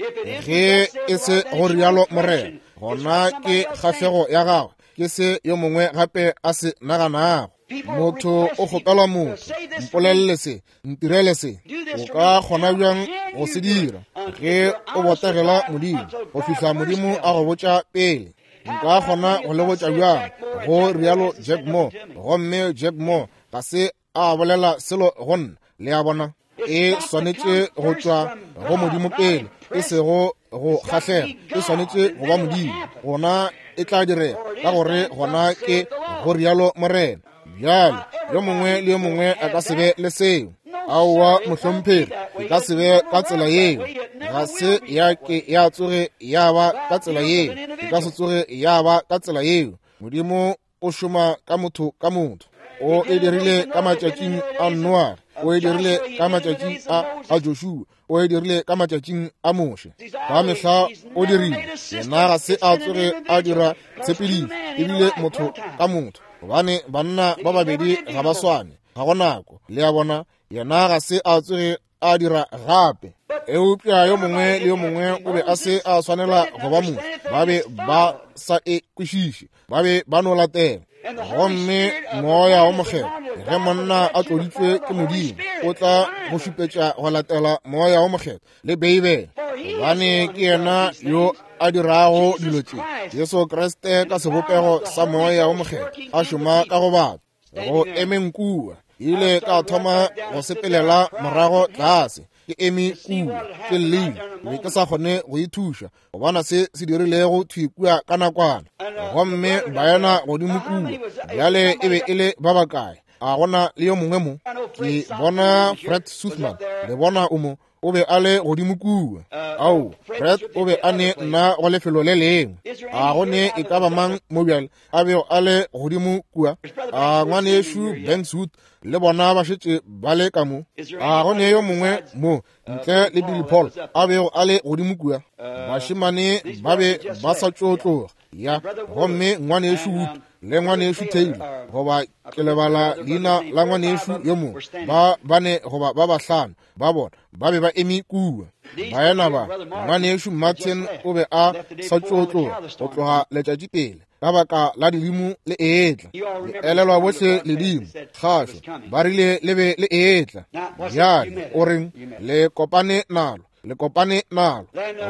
Ge e se go rialo Morena, gona ke kgahlego ya gagwe, ke se yo mongwe gape a se naganago. Motho o kgopela motho, mpolelele se, ntirele se. O ka kgona bjang go se dira ge o botegela Modimo go fihla Modimo a go botša pele? Nka kgona go le botša bjang go rialo Jack Moore, gomme Jack Moore ga se a bolela selo go nna. Le a bona, e swanetše go tšwa go Modimo pele, e sego go kgahlega. E swanetše go ba Modimo, gona e tla direga, ka gore gona ke go rialo Morena. Bjale yo mongwe le yo mongwe a ka se be le seo. Aowa mohlomphegi, e ka se be ka tsela yeo. Ga se ya ke ya tsoge ya ba ka tsela yeo, e ka se tsoge ya ba ka tsela yeo. Modimo o šoma ka motho ka motho. O e dirile ka matšatšing a Noa, o e dirile ka matšatšing a a Joshua, o e dirile ka matšatšing a Moshe. Ka mehla o dirile. Yena ga se a tsoge a dira tshepedišo, ebile motho ka motho, gobane banna ba babedi ga ba swane, ga go nako. Le a bona, yena ga se a tsoge a dira gape. Eupša yo mongwe le yo mongwe o be a se a swanela go ba motho. Ba be ba sa e kwešiše, ba be ba no latela. Gomme Moya wo Mokgethwa, ge monna a tloditšwe ke Modimo, o tla go šupetša go latela Moya wo Mokgethwa le Beibele, gobane ke yena yo a dirago dilo tše, Jesu Kriste ka sebopego sa Moya wo Mokgethwa a šoma ka go batho. Go emeng kua, ile ka thoma go sepelela morago tlase, ke eme kua, ke llile, be ke sa kgone go ithuša go bona se se dirilego thwi kua ka nakwana. Gomme baena godimo kua bjale e be e le ba bakae? A gona le yo mongwe mo? Ke bona Fred Suthman, le bona o mo, o be a le godimo kua. Ao, Fred o be a ne nna go lefelo le lengwe. A go ne e ka ba mang mo bjale a bego a le godimo kua? A ngwanešu Bankswood le bona ba šetše ba le ka mo. A go ne yo mongwe mo ntle le Billy Paul a bego a le godimo kua? Bašemane ba be ba sa tšo tloga. Ya, gomme ngwanešu Wood le ngwanešu Taylor, goba ke lebala leina la ngwanešu yo mongwe, ba bane goba ba bahlano ba bona ba be ba eme kua. Baena ba, ngwanešu Martin o be a sa tšo tloga go tloga letšatši pele ka baka la ledimo le etla. Le elelwa bohle ledimo kgašo, ba rile le be le etla. Bjale o reng? Le kopane nalo, le kopane nalo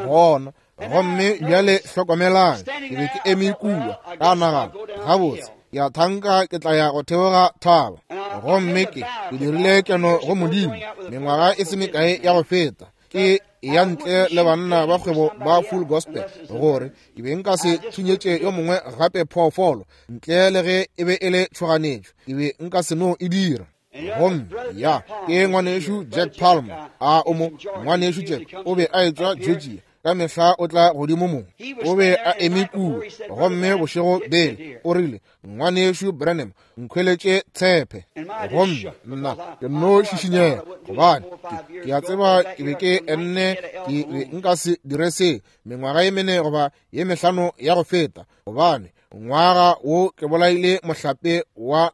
gona. Gomme bjale hlokomelang, ke be ke eme kua ka nagana, gabotse ya thanka ke tla ya go theoga thaba. Gomme ke ke dirile keno go Modimo mengwaga e se mekae ya go feta, ke ya ntle le banna ba kgwebo ba Full Gospel, gore ke be nka se thunyetše yo mongwe gape phoofolo ntle le ge e be e le tšhoganetšo, ke be nka se no e dira. Gomme ya ke ngwanešu Jack Palmer, a o mo ngwanešu Jack o be a etšwa Georgia, ka mehla o tla godimo mo, o be a eme kua. Gomme bošego bele o rile, ngwanešu Branham, nkhweletše tshepe. Gomme nna ke nno šišinyega, gobane ke a tseba ke be ke enne ke be nka se dire se mengwaga ye mene goba ye mehlano ya go feta, gobane ngwaga wo ke bolaile mohlape wa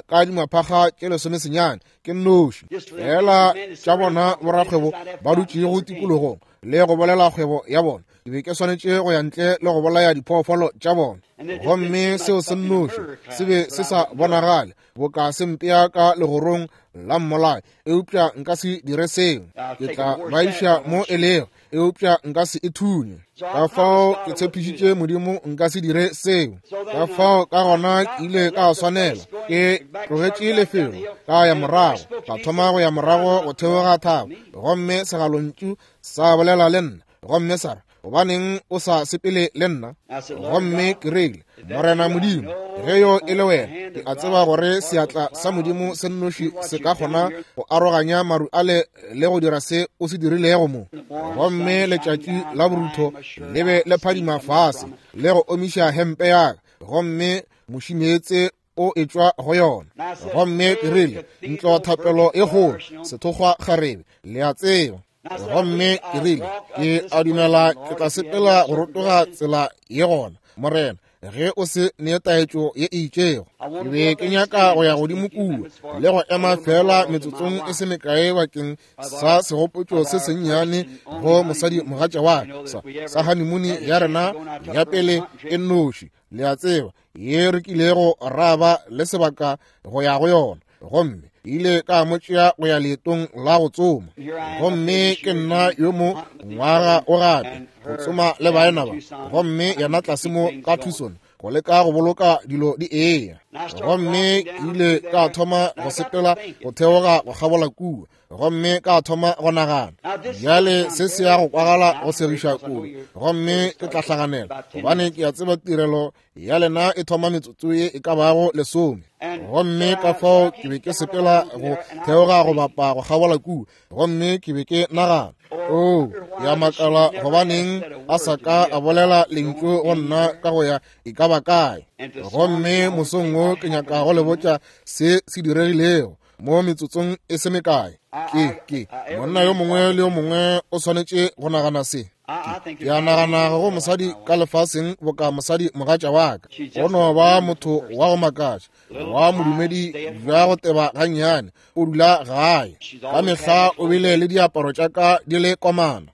ka dimaphakga tše lesomesenyane ke nnoši fela tša bona borakgwebo ba dutšego tikologong le go bolela kgwebo ya bona. Ke be ke swanetše go ya ntle le go bolaya diphoofolo tša bona. Gomme seo se nnoši se be se sa bonagale boka se mpea ka legorong la mmolai, eupša nka se dire seo. Ke tla ba iša mo e lego, eupša nka se e thunye. Ka fao ke tshepišitše Modimo nka se dire seo. Ka fao ka gona ke ile ka swanela ke tlogetše lefelo, ka ya morago, ka thoma go ya morago go theoga thaba. Gomme segalontšu sa bolela le nna, gomme sa re, gobaneng o sa sepele le nna? Gomme ke rile, Morena Modimo, ge yo e le wena, ke a tseba gore seatla sa Modimo se nnoši se ka kgona go aroganya maru ale le go dira se o se dirilego mo. Gomme letšatši la borutho le be le phadima fase le go omiša hempe ya ka, gomme mošimeetse o etšwa go yona. Gomme ke rile, ntlo thapelo e kgolo, sethokgwa kgarebe, le a tseba. Gomme ke rile, ke a dumela ke tla sepela go rotoga tsela ye gona, Morena, ge o se ne taetšo ye e itšego. Ke be ke nyaka go ya godimo kua le go ema fela metsotsong e se mekae bakeng sa segopotšo se sennyane go mosadi mogatša wa ka, sa, sa honeymoon ya rena ya pele e nnoši, le a tseba, ye re kilego ra ba le sebaka go ya go yona. Gomme ile ka mo tšea go ya leetong la go tsoma. Gomme ke nna yo mo ngwaga o gape go tsoma le baena ba, gomme yena tlase mo ka Tucson go leka go boloka dilo di eya. Gomme ke ile ka thoma go sepela go theoga go kgabola kua, gomme ka thoma go nagana, bjale se se ya go kwagala go segiša kudu, gomme ke tla hlaganela, gobane ke a tseba tirelo ya lena e thoma metsotso ye e ka bago lesome. Gomme ka fao ke be ke sepela go theoga go bapa go kgabola kua, gomme ke be ke nagana, o ya makala gobaneng a sa ka a bolela lentšu go nna ka go ya e ka ba kae. Gomme mosong wo ke nyaka go le botša se se diregilego mo metsotsong e se mekae. Ke ke monna yo mongwe le yo mongwe o swanetše go nagana se. Ke a nagana go mosadi ka lefaseng boka mosadi mogatša wa ka, go no ba motho wa go makatša, wa modumedi bja go teba gannyane, o dula gae ka mehla, o bile le diaparo tša ka di le komana.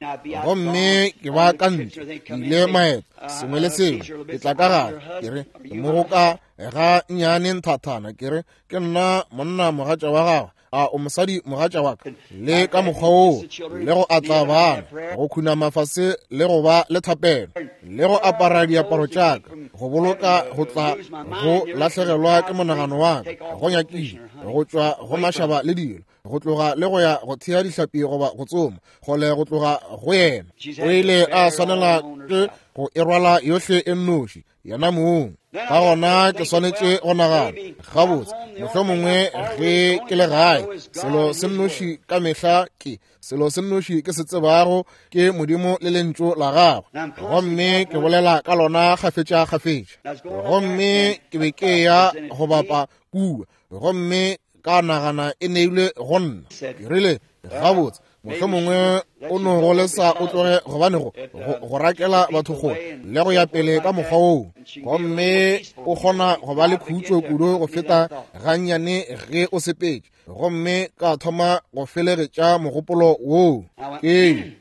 Gomme ke ba ka ntle, ke ile maeto, sengwe le sengwe. Ke tla ka gare, ke re, ke mo go ka ga nnyane nthathana, ke re, ke nna monna mogatša wa gagwe, a o mosadi mogatša wa ka, le ka mokgwa woo, le go atla bana, go khunama fase le go ba le thapelo, le go apara diaparo tša ka, go boloka go tla go lahlegelwa ke monagano wa ka, go nyakile go tšwa go mašaba le dilo, go tloga le go ya go thea dihlapi goba go tsoma, kgole go tloga go yena. O ile a swanela ke go e rwala yohle e nnoši, yena mong. Ka gona ke swanetše go nagana, gabotse, mohlomongwe ge ke le gae, selo se nnoši ka mehla ke, selo se nnoši ke se tsebago ke Modimo le lentšu la gagwe, gomme ke bolela ka lona kgafetša kgafetša. Gomme ke be ke ya go bapa kua, gomme ka nagana e neilwe go nna. Ke rile, gabotse, mohlomongwe o no go lesa o tloge, gobane go go rakela batho kgole le go ya pele ka mokgwa woo, gomme o kgona go ba le khutšo kudu go feta gannyane ge o sepetše. Gomme ka thoma go felegetša mogopolo woo ke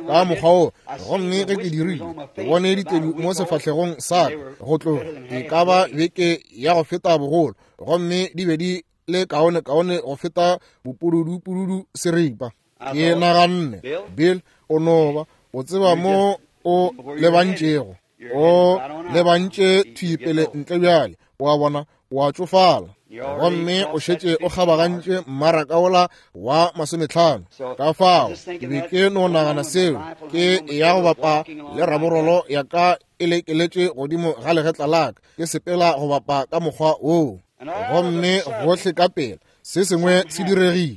ka mokgwa woo. Gomme ge ke dirile, ke bone ditedu mo sefahlegong sa ka go tloga e ka ba beke ya go feta bogolo, gomme di be di le kaone kaone go feta bopududu seripa. Ke naganne, Bill, o no ba o tseba mo o lebantšego, o lebantše thwi pele ntle bjale, wa bona, wa tšofala, gomme o šetše o kgabagantše mmaraka wola wa masometlhano. Ka fao ke be ke no nagana seo, ke ya go bapa le raborolo ya ka e lekeletše godimo ga legetla la ka, ke sepela go bapa ka mokgwa woo. Gomme gohle ka pela se sengwe se diregile,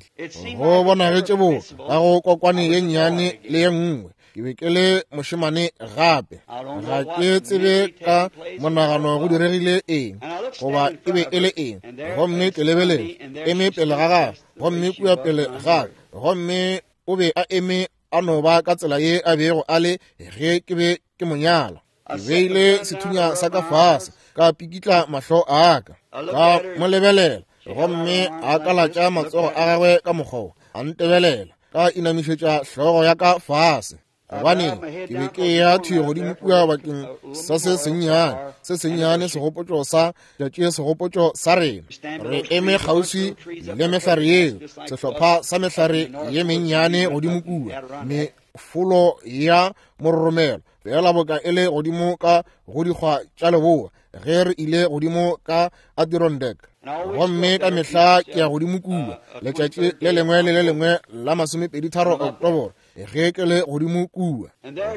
go bonagetše bo ka go kokwane ye nnyane le ye nngwe. Ke be ke le mošemane gape, ga ke tsebe ka monagano go diregile eng goba e be e le eng. Gomme ke lebeletše, eme pele ga gagwe, gomme kua pele ga ka, gomme o be a eme a no ba ka tsela ye a bego a le ge ke be ke mo nyala. Ke beile sethunya sa ka fase, ka pikitla mahlo a ka, ka mo lebelela, gomme a kalatša matsogo a gagwe ka mokgwa, a ntebelela, ka inamišetša hlogo ya ka fase. Gobane ke be ke ya thwi godimo kua bakeng sa se sennyane, se sennyane segopotšo sa tšatši, segopotšo sa rena. Re eme kgauswi le mehlare yeo, sehlopha sa mehlare ye mennyane godimo kua, mefolo ya mororomelo, fela boka e le godimo ka go dikgwa tša leboa ge re ile godimo ka Adirondack. Gomme ka mehla ke ya godimo kua letšatši le lengwe le le lengwe la masomepedi tharo Oktoboro ge ke le godimo kua.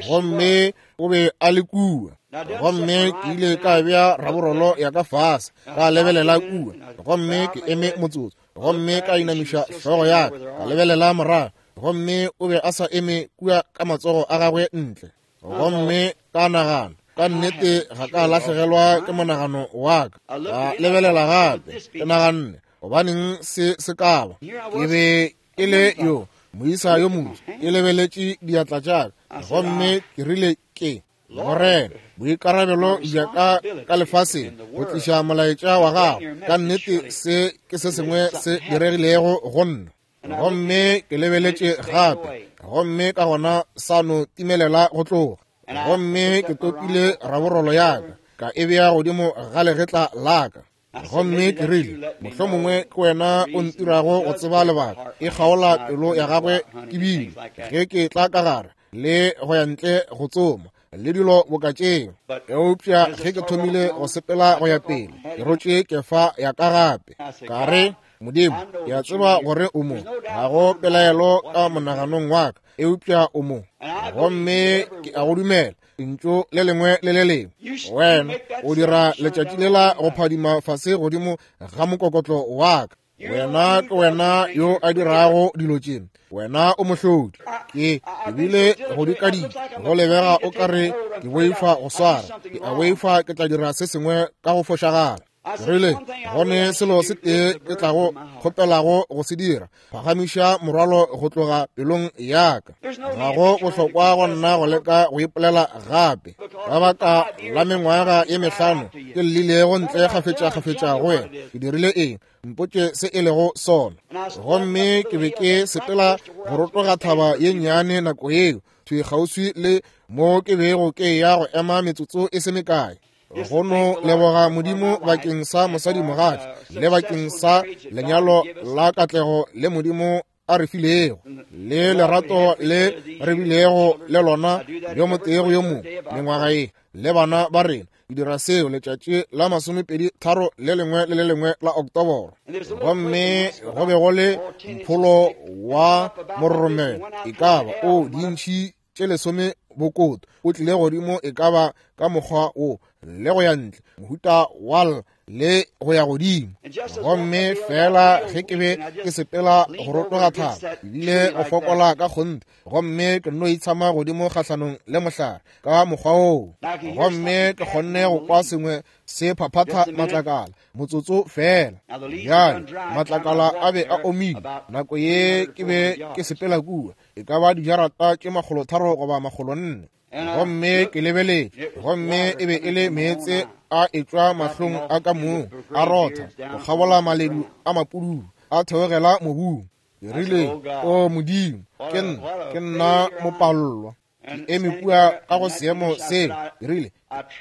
Gomme o be a le kua, gomme ke ile ka bea raborolo ya ka fase, ka lebelela kua, gomme ke eme motsotso, gomme ka inamiša hlogo ya ka, ka lebelela morago, gomme o be a sa eme kua ka matsogo a gagwe ntle. Gomme ka nagana, ka nnete ga ka lahlegelwa ke monagano wa ka. Ka lebelela gape, ke naganne, gobaneng se se ka ba? Ke be ke le yo moisa yo motho, ke lebeletše diatla tša ka, gomme ke rile, ke Morena, boikarabelo bja ka ka lefaseng go tliša molaetša wa gago, ka nnete se ke se sengwe se diregilego go nna. Gomme ke lebeletše gape, gomme ka gona sa no timelela go tloga. Gomme ke topile raborolo ya ka, ka e bea godimo ga legetla la ka. Gomme ke rile, mohlomongwe ke wena o ntirago go tseba lebaka, e kgaola pelo ya gagwe ke bile ge ke tla ka gare le go ya ntle go tsoma le dilo boka tšeo. Eupša ge ke thomile go sepela go ya pele, ke rotše kefa ya ka gape. Ka re, Modimo, ke a tseba gore o mo, ga go pelaelo ka monaganong wa ka, eupša o mo, gomme ke a go dumela lentšu le lengwe le le lengwe. Wena o dira letšatši lela go phadima fase godimo ga mokokotlo wa ka. Wena ke wena yo a dirago dilo tše, wena o mohlodi. Ke ebile go dikadika, go lebega o ka re ke boifa go swara, ke a boifa ke tla dira se sengwe ka go fošagala. Rile, gone selo se tee ke tlago kgopelago go se dira, phagamiša morwalo go tloga pelong ya ka. Ga go bohlokwa go nna go leka go ipolela gape. Ka baka la mengwaga ye mehlano ke llilego ntle kgafetša-kgafetša go wena. Ke dirile eng? Mpotše se e lego sona. Gomme ke be ke sepela go rotoga thaba ye nnyane nako yeo, thwi kgauswi le mo ke bego ke ya go ema metsotso e se mekae. Go no leboga Modimo bakeng sa mosadimogatša le bakeng sa lenyalo la katlego le Modimo a re filego, le lerato le re bilego le lona yo motee go yo mongwe mengwaga ye le bana ba rena. Ke dira seo letšatši la masomepedi tharo le lengwe le le lengwe la Oktoboro. Gomme go be go le mpholo wa mororomelo e ka ba o dintšhi tše lesome bokoto o tlile godimo e ka ba ka mokgwa wo le go ya ntle, mohuta wa le go ya godimo. Gomme fela ge ke be ke sepela go rotoga thaba, ebile go fokola ka kgonthe, gomme ke nno itshama godimo kgahlanong le mohlare ka mokgwa woo. Gomme ke kgonne go kwa sengwe se phaphatha matlakala motsotso fela. Bjale matlakala a be a omile nako ye ke be ke sepela kua, e ka ba dijarata tše makgolotharo goba makgolo nne. Gomme ke lebeletše, gomme e be e le meetse a etšwa mahlong a ka mong, a rotha go kgabola maledu a mapudulu, a theogela mobung. Ke rile, o Modimo, ke nna, ke nna mopallwa. Ke eme kua ka go seemo seo. Ke rile,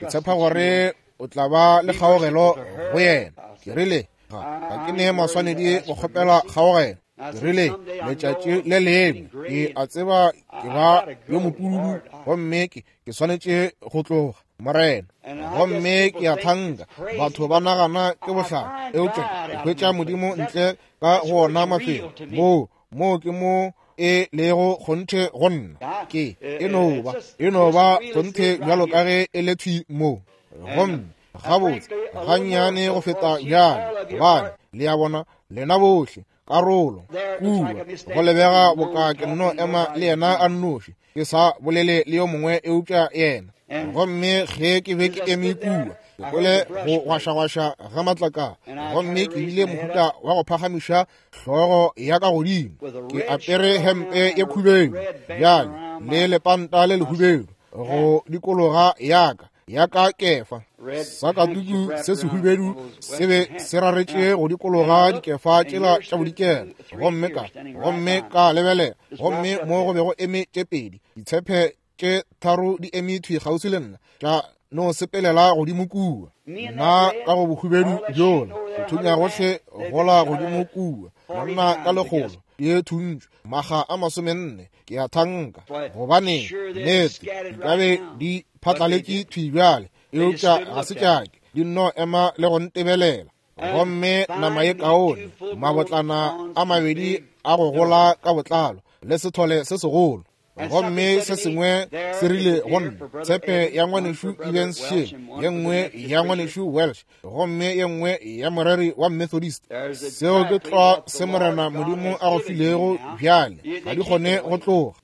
ke tshepa gore o tla ba le kgaogelo go yena. Ke rile, ga ga ke ne maswanedi go kgopela kgaogelo. Ke rile, letšatši le lengwe ke a tseba ke ba yo mopududu, gomme ke ke swanetše go tloga, Morena. Gomme ke a thanka batho ba nagana ke bohlale, eupša ke hwetša Modimo ntle ka go ona mafelo moo moo ke mo e lego kgonthe go nna. Ke e no ba e no ba kgonthe bjalo ka ge e le thwi mo. Gomme gabotse gannyane go feta bjale, gobane le a bona lena bohle karolo kua go lebega boka ke nno ema le yena a nnoši, ke sa bolele le yo mongwe eupša yena. Gomme ge ke be ke eme kua, ke kwele go gwašagwaša ga matlakala, gomme ke bile mohuta wa go phagamiša hlogo ya ka godimo. Ke apere hempe ye khubedu bjale le lepanta le lehubedu go dikologa yaka ya ka kefa. Sakatuku se sehubedu se be se raretše go dikologa dikefa tšela tša bodikela. Gomme ka gomme ka lebelela, gomme mo go be go eme tše pedi ditshepe tše tharo di eme thwi kgauswi le nna, tša no sepelela godimo kua. Nna ka go bohubedu bjola, go thunya gohle gola godimo kua, monna ka lekgolo di thuntšwe maga a masomenne, ke a thanka, gobane nnete di ka be di phatlaletše thwi bjale, eupša ga se tšake, di nno ema le go ntebelela. Gomme nama ye kaone, mabotlana a mabedi a go gola ka botlalo, le sethole se segolo. Gomme se sengwe se rile go nna, tshepe ya ngwanešu Evans Shea, ye nngwe ya ngwanešu Welsh, gomme ye nngwe ya moreri wa Methodist. Seo ke tlwa se Morena Modimo a go filego bjale, ga di kgone go tloga,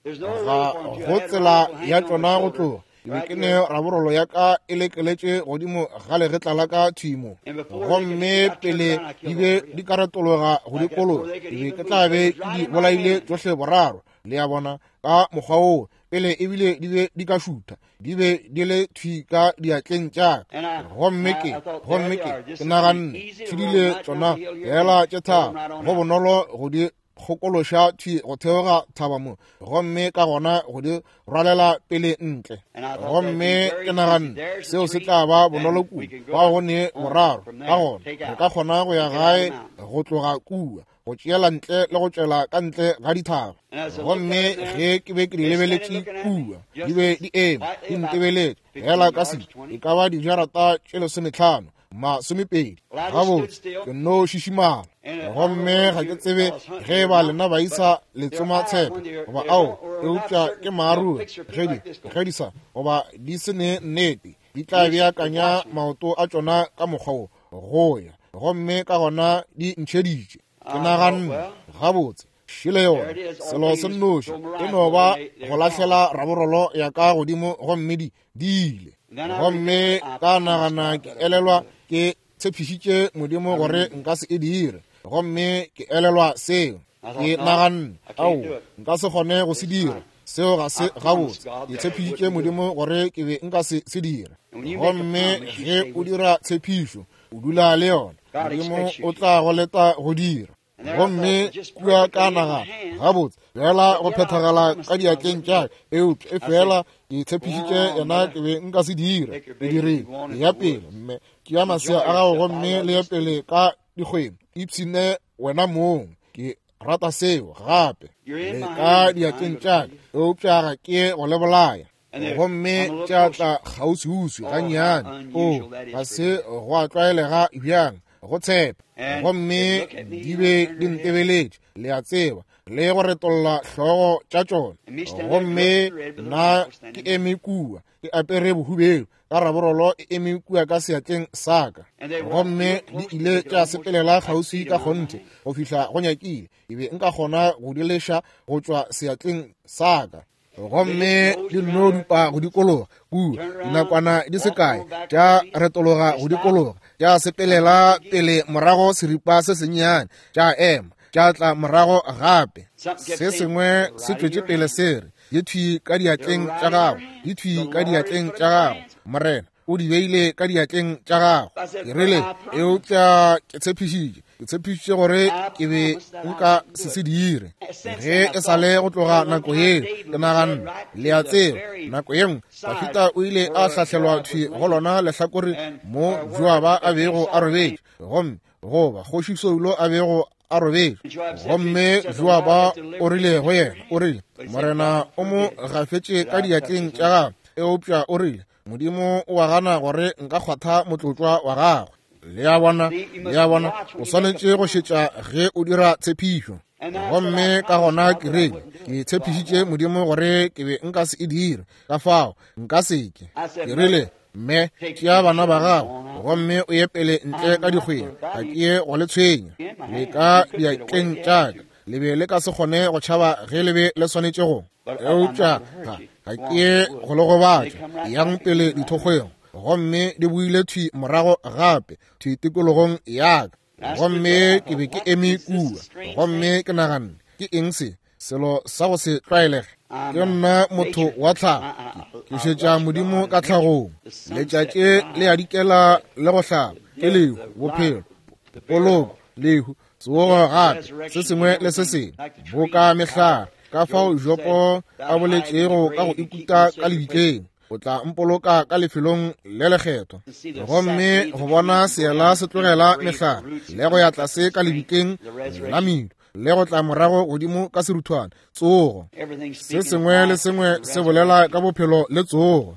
ga go tsela ya tšona go tloga. Ke be ke ne raborolo ya ka e lekeletše godimo ga legetla la ka thwi mo, gomme pele di be di ka retologa go dikologa, ke be ke tla be ke di bolaile tšohle boraro. Le a bona, ka mokgwa woo pele ebile di be di ka šutha, di be di le thwi ka diatleng tša ka. Gomme ke gomme ke ke naganne tšhidile tšona fela tše tharo, go bonolo go di kgokološa thwi go theoga thaba mo, gomme ka gona go di rwalela pele ntle. Gomme ke naganne seo se tla ba bonolo kudu, bao go ne boraro, ka gona re ka kgona go ya gae go tloga kua, go tšeela ntle le go tšwela ka ntle ga dithaba. Gomme ge ke be ke di lebeletše kua, di be di eme di ntebeletše fela ka se e ka ba dijarata tše lesometlhano masomepedi. Gabotse ke nno šišimala. Gomme ga ke tsebe ge ba lena ba isa letsoma tshepe goba ao, eupša ke maaruri ge di ge di sa goba di se ne nnete, di tla beakanya maoto a tšona ka mokgwa wo go ya, gomme ka gona di ntšheditše. Ke naganne, gabotse šele yona, selo se nnoši e no ba go lahlela raborolo ya ka godimo, gomme di di ile. Gomme ka nagana ke elelwa ke tshepišitše Modimo gore nka se e dire, gomme ke elelwa seo. Ke naganne, ao, nka se kgone go se dira. Seo ga se gabotse. Ke tshepišitše Modimo gore ke be nka se se dira. Gomme ge o dira tshepišo, o dula le yona. Modimo o tla go leta go dira. Gomme kua ka naga gabotse fela go phethagala ka diatleng tša ka, eupša e fela ke tshepišitše yena ke be nka se dire. Ke dirile ya pele, mme tšea masea a gago gomme le ye pele ka dikgweng, ipshine wena mong. Ke rata seo gape. Le ka diatleng tša ka, eupša ga ke go le bolaya. Gomme tša tla kgauswiuswi gannyane. O, ga se go a tlwaelega bjang go tshepa. Gomme di be di ntebeletše, le a tseba, le go retolla hlogo tša tšona. Gomme nna ke eme kua, ke apere bohubedu, ka raborolo e eme kua ka seatleng sa ka. Gomme di ile tša sepelela kgauswi ka kgonthe go fihla go nyakile ke be nka kgona go di leša go tšwa seatleng sa ka. Gomme di nno dupa go dikologa kua dinakwana di se kae, tša retologa go dikologa, tša sepelela pele morago seripa se sennyane, tša ema, tša tla morago gape. Se sengwe se tšwetše pele se re, di thwi ka diatleng tša gago, di thwi ka diatleng tša gago, Morena o di beile ka diatleng tša gago. Ke rile, eupša ke tshepišitše, ke tshepišitše gore ke be nka se se dire. Ge e sa le go tloga nako yeo, ke naganne, le a tseba, nako ye nngwe Dafida o ile a hlahlelwa thwi go lona lehlakore mo Joaba a bego a robetše, gomme goba kgoši Saulo a bego a robetše. Gomme Joaba o rile go yena, o rile, Morena o mo gafetše ka diatleng tša gagwe, eupša o rile, Modimo o a gana gore nka kgwatha motlotlwa wa gagwe. Le a bona, le a bona, o swanetše go šetša ge o dira tshepišo. Gomme ka gona ke rile, ke tshepišitše Modimo gore ke be nka se e dire, ka fao nka se ke. Ke rile, mme tšea bana ba gago gomme o ye pele ntle ka dikgweng, ga ke ye go le tshwenya. Le ka diatleng tša ka, le be le ka se kgone go tšhaba ge le be le swanetše go. Eupša ga ga ke ye go le gobatša, yang pele dithokgweng. Gomme di boile thwi morago gape thwi tikologong ya ka. Gomme ke be ke eme kua, gomme ke naganne, ke eng se selo sa go se tlwaelege? Ke nna motho wa tlhago, ke šetša Modimo ka tlhagong. Letšatši le a dikela le go hlaba, ke lehu, bophelo, poloko, lehu, tsogo gape, se sengwe le se sengwe, boka mehlare. Ka fao Jopo a boletšego ka go ikuta ka lebitleng, o tla mpoloka ka lefelong le lekgethwa. Gomme go bona seela se tlogela mehlare le go ya tlase ka lebitleng la medu, le go tla morago godimo ka seruthwane, tsogo. Se sengwe le sengwe se bolela ka bophelo le tsogo.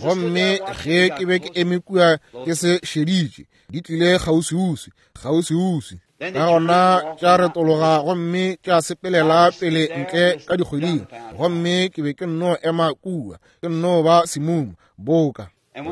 Gomme ge ke be ke eme kua ke se šeditše, di tlile kgauswiuswi, kgauswiuswi. Ka gona tša retologa gomme tša sepelela pele ntle ka dikgweding. Gomme ke be ke nno ema kua, ke nno ba semumu boka.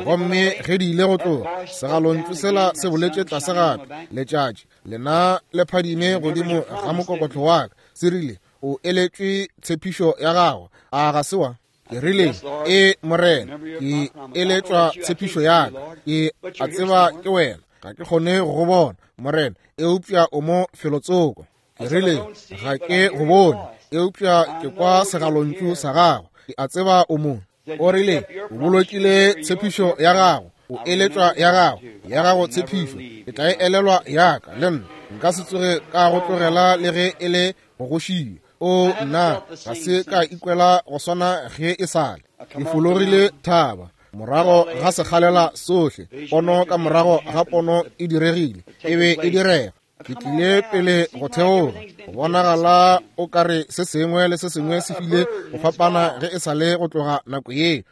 Gomme ge di ile go tloga, segalontšu sela se boletše tlase gape, letšatši lena le phadime godimo ga mokokotlo wa ka, se rile, o eletšwe tshepišo ya gago, a ga se wa? Ke rile, e Morena, ke eletšwa tshepišo ya ka, ke a tseba ke wena, ga ke kgone go go bona, Morena, eupša o mo felotsoko. Ke rile, ga ke go bone, eupša ke kwa segalontšu sa gago, ke a tseba o mo. O rile, o bolokile tshepišo ya gago, o eletšwa ya gago, ya gago tshepišo, ke tla e elelwa ya ka, le nna nka se tsoge ka go tlogela le ge e le go go šia. O nna ga se ka ikwela go swana ge e sale. Ke fologile thaba morago ga sekgalela sohle, pono ka morago ga pono e diregile, e be e direga. Ke tlile pele go theoga, go bonagala o ka re se sengwe le se sengwe se file go fapana ge e sale go tloga nako ye.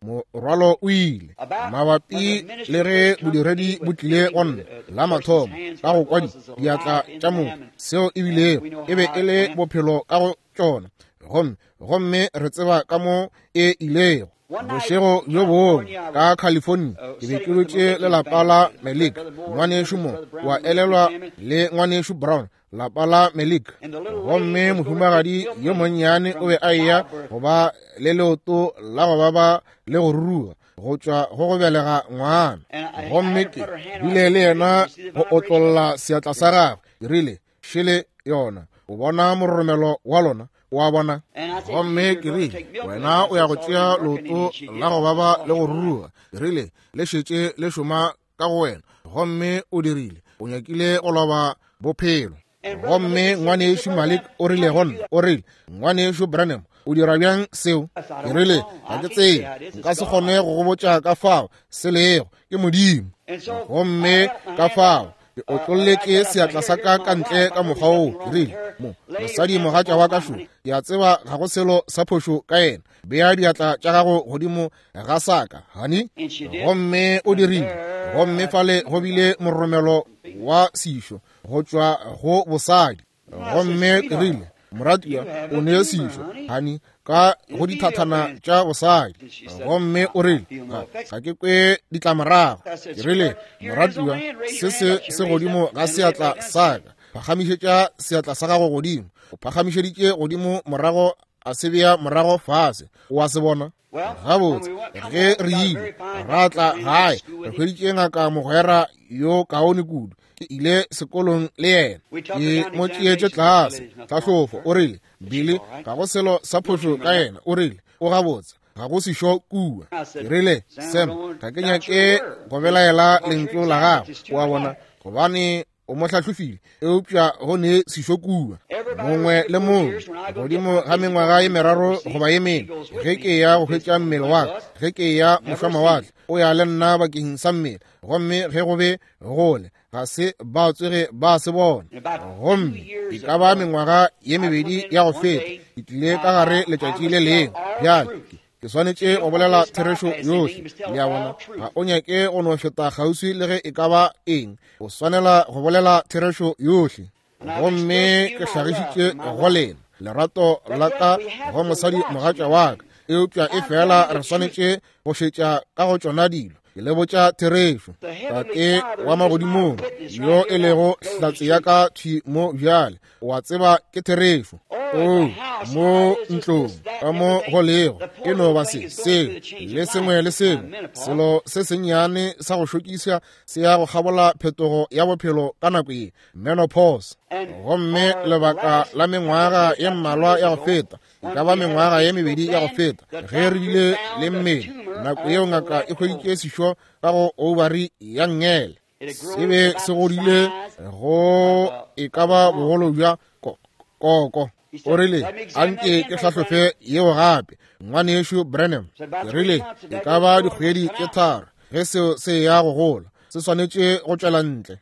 Morwalo o ile mabapi le ge bodiredi bo tlile go nna la mathomo ka go kwa diatla tša motho, seo e bilego e be e le bophelo ka go tšona, gomme gomme re tseba ka mo e ilego. Bošego bjo bongwe ka California, ke be ke dutše le lapa la Melik, ngwanešu mo wa elelwa le ngwanešu Brown, lapa la Melik. Gomme mohumagadi yo monnyane o be a eya go ba le leoto la go baba le go ruruga, go tšwa go go belega ngwana. Gomme ke bile le yena go otlolla seatla sa gagwe. Ke rile, šele yona, o bona mororomelo wa lona, wa bona. Gomme ke rile, wena o ya go tšea leoto la go baba le go ruruga. Ke rile, le šetše le šoma ka go wena. Gomme o dirile, o nyakile go loba bophelo. Gomme ngwanešu Malik o rile go nna, o rile, ngwanešu Branham, o dira bjang seo? Ke rile, ga ke tsebe, nka se kgone go go botša ka fao se lego, ke Modimo. Gomme ka fao ke otlolletše seatla sa ka ka ntle ka mokgwa woo. Ke rile, mo mosadi mogatša wa ka šo, ke a tseba ga go selo sa phošo ka yena, bea diatla tša gago godimo ga sa ka, honey. Gomme o dirile. Gomme fale go bile moromelo wa sešo go tšwa go bosadi. Gomme ke rile, moratiwa, o ne sešo, honey, ka go dithathana tša bosadi. Gomme o rile, ga ke kwe ditlamorago. Ke rile, moratiwa, se se se godimo ga seatla sa ka, phagamišetša seatla sa gago godimo. O phagamišeditše godimo morago, a se bea morago fase. O a se bona? Gabotse, ge re ile ra tla gae, re hweditše ngaka mogwera yo kaone kudu. Ke ile sekolong le yena, ke mo tšeetše tlase tlhahlofo. O rile, Billy, ga go selo sa phošo ka yena. O rile, o gabotse, ga go sešo kua. Ke rile, Sam, ga ke nyake go belaela lentšu la gago, wa bona, gobane o mo hlahlofile, eupša go ne sešo kua. Mongwe le mongwe godimo ga mengwaga ye meraro goba ye mene, ge ke ya go hwetša mmele wa ka, ge ke ya mošwamawatle, o ya le nna bakeng sa mmele. Gomme ge go be gole, ga se ba tsoge ba se bona. Gomme e ka ba mengwaga ye mebedi ya go feta, ke tlile ka gare letšatši le lengwe. Bjale ke swanetše go bolela therešo yohle, le a bona. Ga o nyake go no feta kgauswi le ge e ka ba eng, o swanela go bolela therešo yohle. Gomme ke hlagišitše go lena lerato la ka go mosadi mogatša wa ka, eupša e fela re swanetše go šetša ka go tšona dilo. Ke le botša therešo. Tate wa magodimong yo e lego hlatse ya ka thwi mo bjale, o a tseba ke therešo. O mo ntlong ka mo go lego, e no ba se seo le sengwe le sengwe, selo se sennyane sa go šokiša se ya go kgabola phetogo ya bophelo ka nako ye, menopause. Gomme lebaka la mengwaga ye mmalwa ya go feta, e ka ba mengwaga ye mebedi ya go feta, ge re bile le mmele, nako yeo ngaka e hweditše sešo ka go ovary ya nngele, se be se godile go e ka ba bogolo bja koko. O rile, anke ke hlahlofe yeo gape, ngwanešu Branham. Ke rile, e ka ba dikgwedi tše tharo ge seo se ya go gola, se swanetše go tšwela ntle.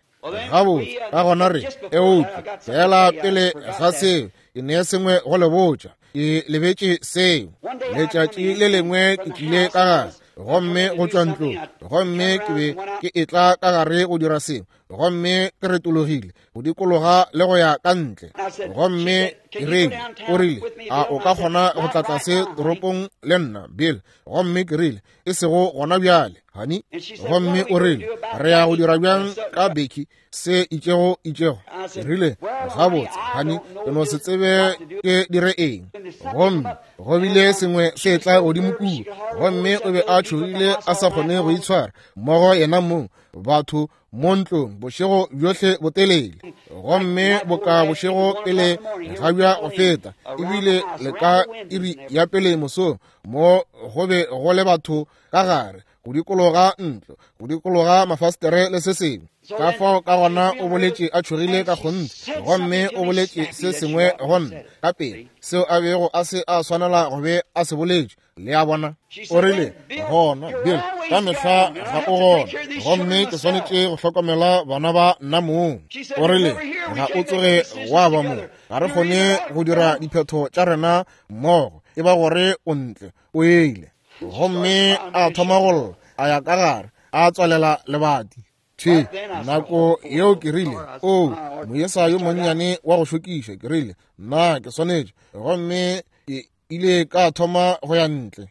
Gabotse, ka gona re eupša fela pele ga seo, ke ne sengwe go le botša, ke lebetše seo. Letšatši le lengwe ke tlile ka gare, gomme go tšwa ntlong, gomme ke be ke etla ka gare go dira seo, gomme ke retologile go dikologa le go ya ka ntle. Gomme ke rile, o rile, a o ka kgona go tla tlase toropong le nna, Bill? Gomme ke rile, e sego gona bjale, honey. Gomme o rile, re ya go dira bjang ka Becky se itšego itšego? Ke rile, gabotse, honey, ke no se tsebe ke dire eng. Gomme go bile sengwe se tla godimo kua, gomme o be a tšhogile a sa kgone go itshwara mmogo yena mong, batho mo ntlong bošego bjohle botelele. Gomme boka bošego pele ga bja go feta, ebile le ka iri ya pele mosong, mo go be go le batho ka gare go dikologa ntlo, go dikologa mafastere le se sengwe. Ka fao ka gona o boletše a tšhogile ka kgonthe, gomme o boletše se sengwe go nna ka pele seo a bego a se a swanela go be a se boletše. Le a bona? O rile, gona Bill, ka mehla ga o gona, gomme ke swanetše go hlokomela bana ba nna mong. O rile, ga o tsoge wa ba mo, ga re kgone go dira diphetho tša rena mmogo, e ba gore o ntle, o ile. Gomme a thoma go lla, a ya ka gare, a tswalela lebati. Thwi nako yeo ke rile, o moyesa yo monnyane wa go šokiša. Ke rile, nna ke swanetše. Gomme ke ile ka thoma go ya ntle.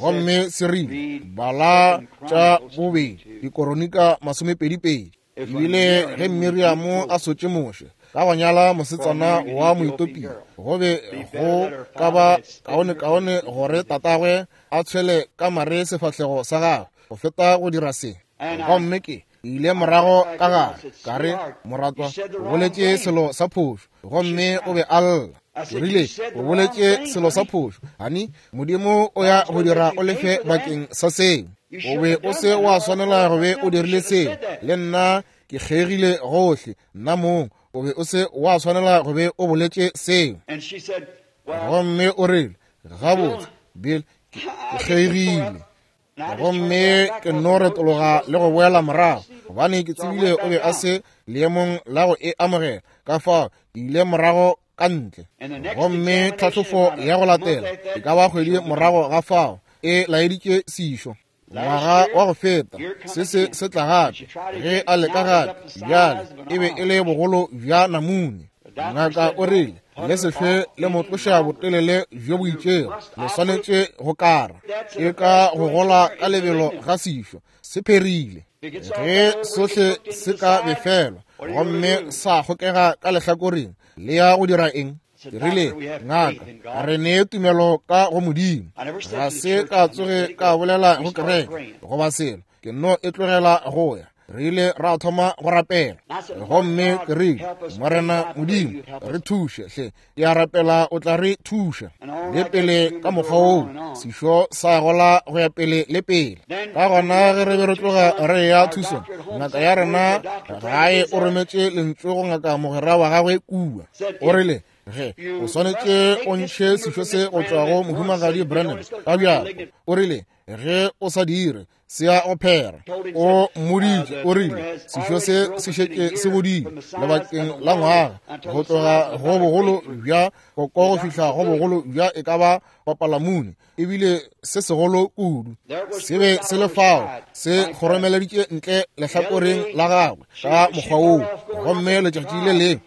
Gomme se rile, bala tša bobedi dikoronika masomepedi pedi. Ebile ge Miriamo a sotše Moshe, ka go nyala mosetsana wa Moetopia. Go be go ka ba kaonekaone gore tatagwe a tshwele ka mare sefahlego sa gagwe go feta go dira se. Gomme ke ile morago ka gare ka re, moratwa, o boletše selo sa phošo. Gomme o be a lla. O rile, o boletše selo sa phošo. Hani, Modimo o ya go dira o lefe bakeng sa seo. O be o se wa swanela go be o dirile seo. Le nna ke kgegile gohle, nna mong. O be o se wa swanela go be o boletše seo. Gomme o rile, gabotse, Bill, ke kgegile. Gomme ke no retologa le go boela morago, gobane ke tsebile o be a se leemong la go e amogela. Ka fao ke ile morago ka ntle. Gomme tlhahlofo ya go latela e ka ba kgwedi morago ga fao e laeditše sešo. Ngwaga wa go feta se se se tla gape ge a leka gape. Bjale e be e le bogolo bja namune. Ngaka o rile, le se hlwe le mo tloša botelele bjo bo itšego, le swanetše go kara. Ke ka go gola ka lebelo ga sešo se pherile. Ge sohle se ka befelwa gomme sa kgokega ka lehlakoreng, le ya go dira eng? Ke rile, ngaka, re nee tumelo ka go Modimo. Ga se ka tsoge ka bolela go kereke goba selo, ke no e tlogela go ya. Re ile ra thoma go rapela. Gomme ke rile, Morena Modimo, re thuše hle. Ke a rapela o tla re thuša. Le pele ka mokgwa woo, sešo sa gola go ya pele le pele. Ka gona ge re be re tloga re ya thusong, ngaka ya rena gae o rometše lentšu go ngaka mogwera wa gagwe kua. O rile, ge o swanetše o ntšhe sešo se go tšwa go mohumagadi Branham ka bjako. O rile, ge o sa dire, se ya go phera. O mmoditše, o rile, sešo se se šetše se godile lebakeng la ngwaga, go tloga go bogolo bja koko go fihla go bogolo bja e ka ba papalamune, ebile se segolo kudu. Se be se le fao se kgoromeleditše ntle lehlakoreng la gagwe ka mokgwa woo. Gomme letšatši le lengwe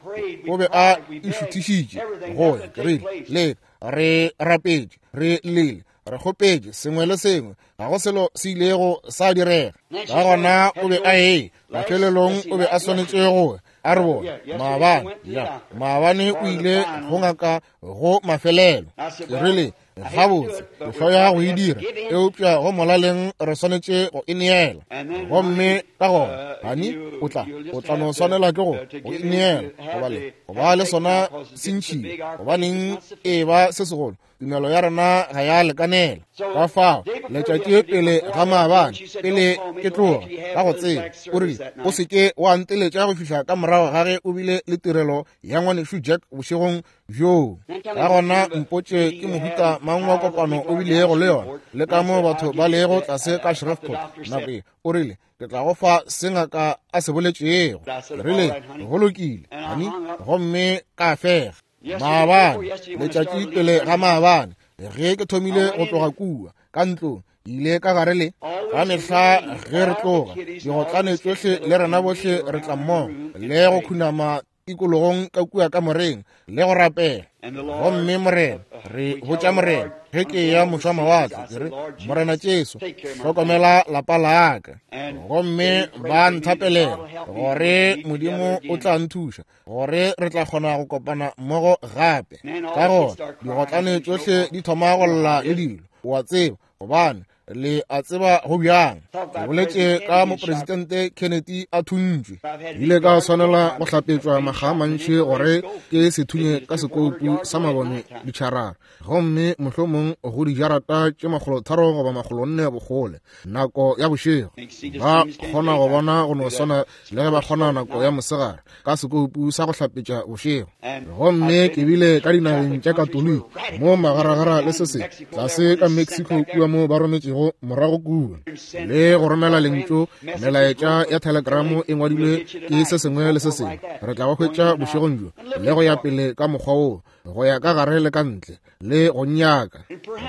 o be a išuthišitše go ya. Ke rile, le re rapetše, re llile, re kgopetše sengwe le sengwe, ga go selo se ilego sa direga. Ka gona o be a ee mafelelong o be a swanetše go a re bona maabane. Ya maabane o ile go ngaka go mafelelo. Ke rile, gabotse, ke hloya go e dira, eupša go molaleng re swanetše go e neela. Gomme ka gona, hani, o tla o tla no swanela ke go go e neela, gobale go ba le sona se ntšhile. Gobaneng e ba se segolo, tumelo ya rena ga ya lekanela. Ka fao letšatši pele ga maabane, pele ke tloga ka go tseba, o rile, o se ke wa nteletša go fihla ka morago ga ge o bile le tirelo ya ngwanešu Jack bošegong bjoo. Ka gona mpotše ke mohuta mang wa kopano o bilego le yona, le ka mo batho ba lego tlase ka Shreveport nako e. O rile, ke tla go fa se ngaka a se boletšego. Ke rile, go lokile, hani. Gomme ka fega. Maabane, letšatši pele ga maabane, ge ke thomile go tloga kua ka ntlong, ile ka gare le ka mehla ge re tloga, digotlane tšohle le rena bohle re tla mmogo le go khunama tikologong ka kua ka moreng le go rapela. Gomme Morena, re botša Morena ge ke ya mošwa mawatle, ke re, Morena Jesu, hlokomela lapa la ka. Gomme ba nthapelela gore Modimo o tla nthuša, gore re tla kgona go kopana mmogo gape. Ka gona digotlane tšohle di thoma go lla le dilo, o a tseba, gobane le a tseba go bjang. Ke boletše ka mopresidente Kennedy a thuntšwe. Ile ka swanela go hlapetšwa makga a mantši gore ke se thunye ka sekoupu sa mabone ditšharara, gomme mohlomong go dijarata tše makgolo tharo goba makgolo nne bogole nako ya bošego. Ba kgona go bona go no swana le ge ba kgona nako ya mosegare ka sekoupu sa go hlapetša bošego. Gomme ke bile ka dinageng tša Katoliki mo magaragara le se se tlase ka Mexico kua mo ba rometšego morago kua, le go romela lentšu melaetša ya telegramo e ngwadilwe ke se sengwe le se sengwe. Re tla ba hwetša bošegong bjo le go ya pele ka mokgwa woo, go ya ka gare le ka ntle le go nyaka.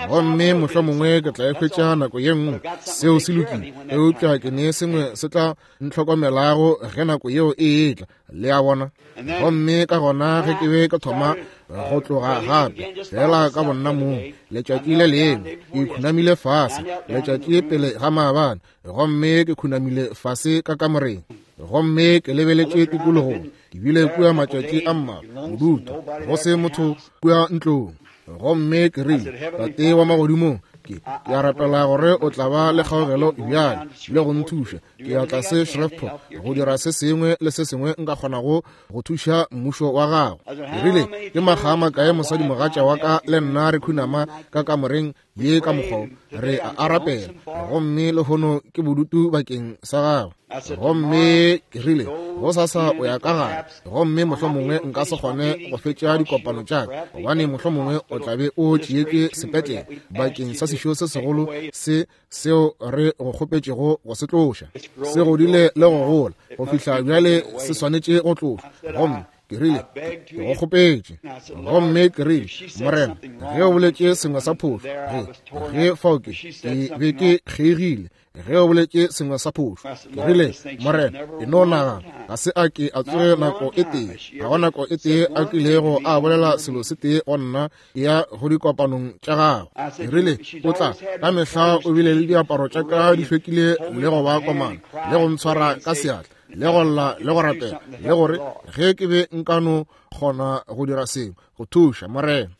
Gomme mohlomongwe ke tla e hwetša nako ye nngwe, seo se lokile, eupša ke ne sengwe se tla ntlhokomelago ge nako yeo e etla, le a bona. Gomme ka gona ge ke be ke thoma go tloga gape fela ka bonna mong letšatši le lengwe, ke khunamile fase letšatši pele ga maabane, gomme ke khunamile fase ka kamoreng, gomme ke lebeletše tikologong. Ke bile kua matšatši a mmalwa, bodutu, go se motho kua ntlong. Gomme ke rile, Tate wa magodimong, ke ke a rapela gore o tla ba le kgaogelo bjale le go nthuša. Ke ya tlase Shreveport go dira se sengwe le se sengwe nka kgonago go thuša mmušo wa gago. Ke rile, ke makga a makae mosadimogatša wa ka le nna re khunama ka kamoreng ye ka mokgwa re a arapela, gomme lehono ke bodutu bakeng sa gago. Gomme ke rile, gosasa o ya ka gare, gomme mohlomongwe nka se kgone go fetša dikopano tša ka, gobane mohlomongwe o tla be o tšeetšwe sepetlele bakeng sa sešo se segolo se seo re go kgopetšego go se tloša. Se godile le go gola go fihla bjale se swanetše go tlošwa. Gomme ke rile, ke go kgopetše. Gomme ke rile, Morena, ge o boletše sengwe sa phošo, ge ge fao ke ke be ke kgeigile, ge o boletše sengwe sa phošo, ke rile, Morena, e no nagana, ga se a ke a tsoge nako e tee, ga go nako e tee a kilego a bolela selo se tee go nna ya go dikopanong tša gago. Ke rile, o tla ka mehla o bile le diaparo tša ka di hlwekile le go ba komana le go ntshwara ka seatla le go lla le go rapela le gore ge ke be nka no kgona go dira sengwe go thuša Morena.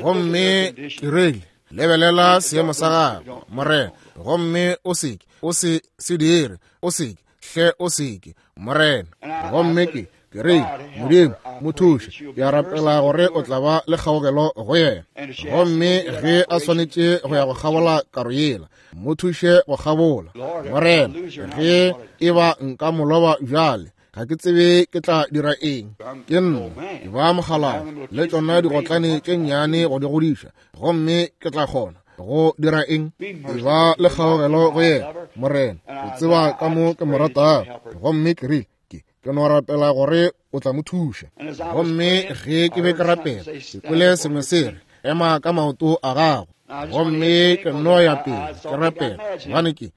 Gomme ke rile, lebelela seemo sa gago, Morena, gomme o seke o se se dire, o seke hle o seke, Morena. Gomme ke ke rile, Modimo, mo thuše, ke a rapela gore o tla ba le kgaogelo go yena. Gomme ge a swanetše go ya go kgabola karo yela, mo thuše go kgabola, Morena. Ge e ba nka mo loba bjale, ga ke tsebe ke tla dira eng. Ke nna ke ba mogalao le tšona digotlane tše nnyane go di godiša, gomme ke tla kgona go dira eng? E ba le kgaogelo go yena, Morena, o tseba ka mo ke mo ratago. Gomme ke rile, ke ke no rapela gore o tla mo thuša. Gomme ge ke be ke rapela, ke kwele sengwe se re, ema ka maoto a gago. Gomme ke no ya pele ke rapela, gobane ke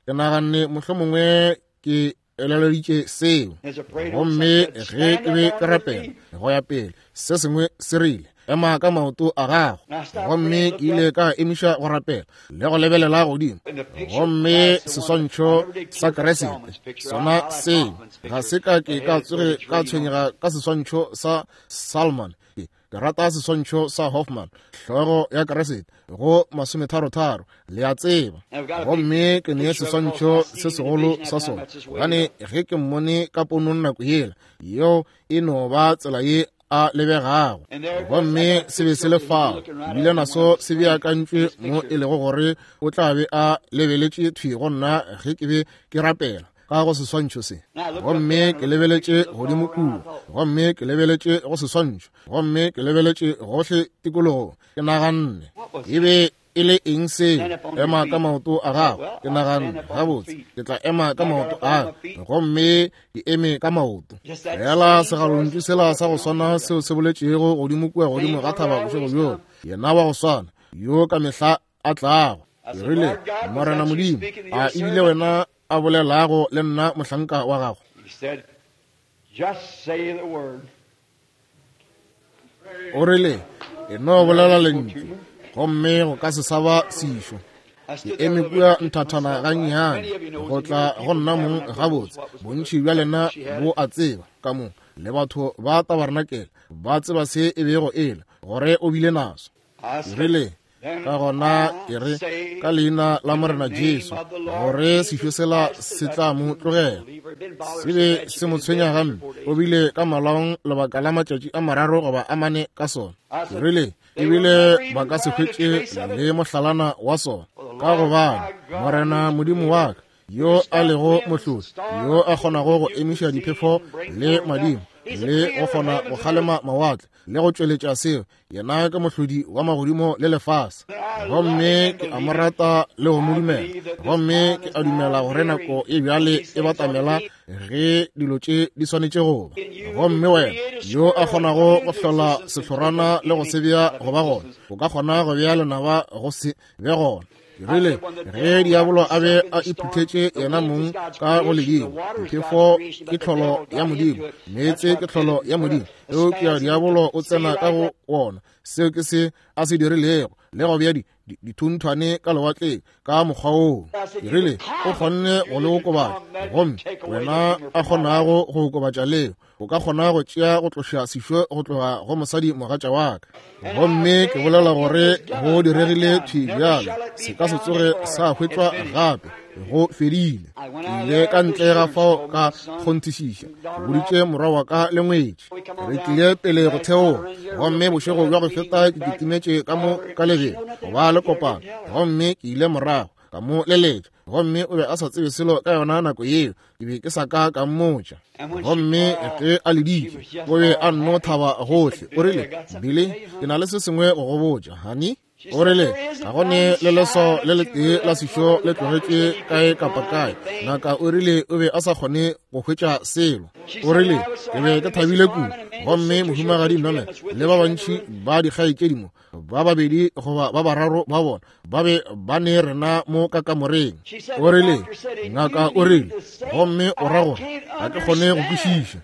ke naganne mohlomongwe ke eleleditše seo. Gomme ge ke be ke rapela go ya pele, se sengwe se rile, ema ka maoto a gago. Gomme ke ile ka emiša go rapela le go lebelela godimo, gomme seswantšho sa Kriste sona seo ga se ka ke ka tsoge ka tshwenyega ka seswantšho sa Salman. Ke rata seswantšho sa Hoffman, hlogo ya Kriste go masometharotharo, le a tseba. Gomme ke ne seswantšho se segolo sa sona, gobane ge ke mmone ka ponong nako yela, yeo e no ba tsela ye a lebegago. Gomme se be se le fao, ebile naso se beakantšwe mo e lego gore o tla be a lebeletše thwi go nna ge ke be ke rapela ka go seswantšho se. Gomme ke lebeletše godimo kua, gomme ke lebeletše go seswantšho, gomme ke lebeletše gohle tikologong. Ke naganne, e be e le eng seo? Ema ka maoto a gago. Ke naganne, gabotse, ke tla ema ka maoto a ka. Gomme ke eme ka maoto. Fela segalontšu sela sa go swana seo se boletšego godimo kua godimo ga thaba bošego bjola, yena wa go swana yo ka mehla a tlago. Ke rile, Morena Modimo, a ebile wena a bolelago le nna mohlanka wa gago? O rile, e no bolela lentšu, gomme go ka se sa ba sešo. Ke eme kua nthathana gannyane go tla go nna mong gabotse. Bontši bja lena bo a tseba ka mo, le batho ba tabarnakele ba tseba se e bego e le, gore o bile naso. Ke rile, ka gona ke re ka leina la Morena Jesu, gore sešo sela se tla mo tlogela. Se be se mo tshwenya gampe, o bile ka malaong lebaka la matšatši a mararo goba a mane ka sona. Ke rile, ebile ba ka se hwetše le mohlalana wa sona, ka gobane Morena Modimo wa ka, yo a lego mohlodi, yo a kgonago go emiša diphefo le madimo, le go kgona go kgalema mawatle le go tšweletša seo, yena ke mohlodi wa magodimo le lefase. Gomme ke a mo rata le go mo dumela, gomme ke a dumela gore nako e bjale e batamela ge dilo tše di swanetše go ba. Gomme wena yo a kgonago go hlola sehlorana le go se bea go ba gona, o ka kgona go bea lenaba go se be gona. Ke rile, ge diabolo a be a iphuthetše yena mong ka go ledimo, diphefo ke tlholo ya Modimo, meetse ke tlholo ya Modimo, eupša diabolo o tsena ka go wona. Seo ke se a se dirilego. le go bea dithunthwane ka lewatleng ka mokgwa woo. Ke rile, o kgonne go le okobatša, gomme wena a kgonago go okobatša leo, o ka kgona go tšea go tloša sešo go tloga go mosadi mogatša wa ka. Gomme ke bolela gore go diregile thwi bjalo, se ka se tsoge sa hwetšwa gape, go fedile. Ke ile ka ntle ga fao ka kgonthišiša, ke boditše morwa wa ka le ngwetši. Re tlile pele go theoga, gomme bošego bja go feta ke kitimetše ka mo ka lebelo go ba le kopano, gomme ke ile morago ka mo leletša, gomme o be a sa tsebe selo ka yona nako yeo, ke be ke sa ka ka mmotša. Gomme ge a leditše, o be a nno thaba gohle. O rile, Billy, ke na le se sengwe go go botša, honey. O rile, ga go ne le leswao le letee la sešo le tlogetše kae kapa kae. Ngaka o rile o be a sa kgone go hwetša selo. O rile, ke be ke thabile kudu. Gomme mohumagadi Norman le ba bantši ba dikgaetšedi mo, ba babedi goba ba bararo ba bona, ba be ba ne rena mo ka kamoreng. O rile, ngaka o rile, gomme o ra gore ga ke kgone go kwešiša.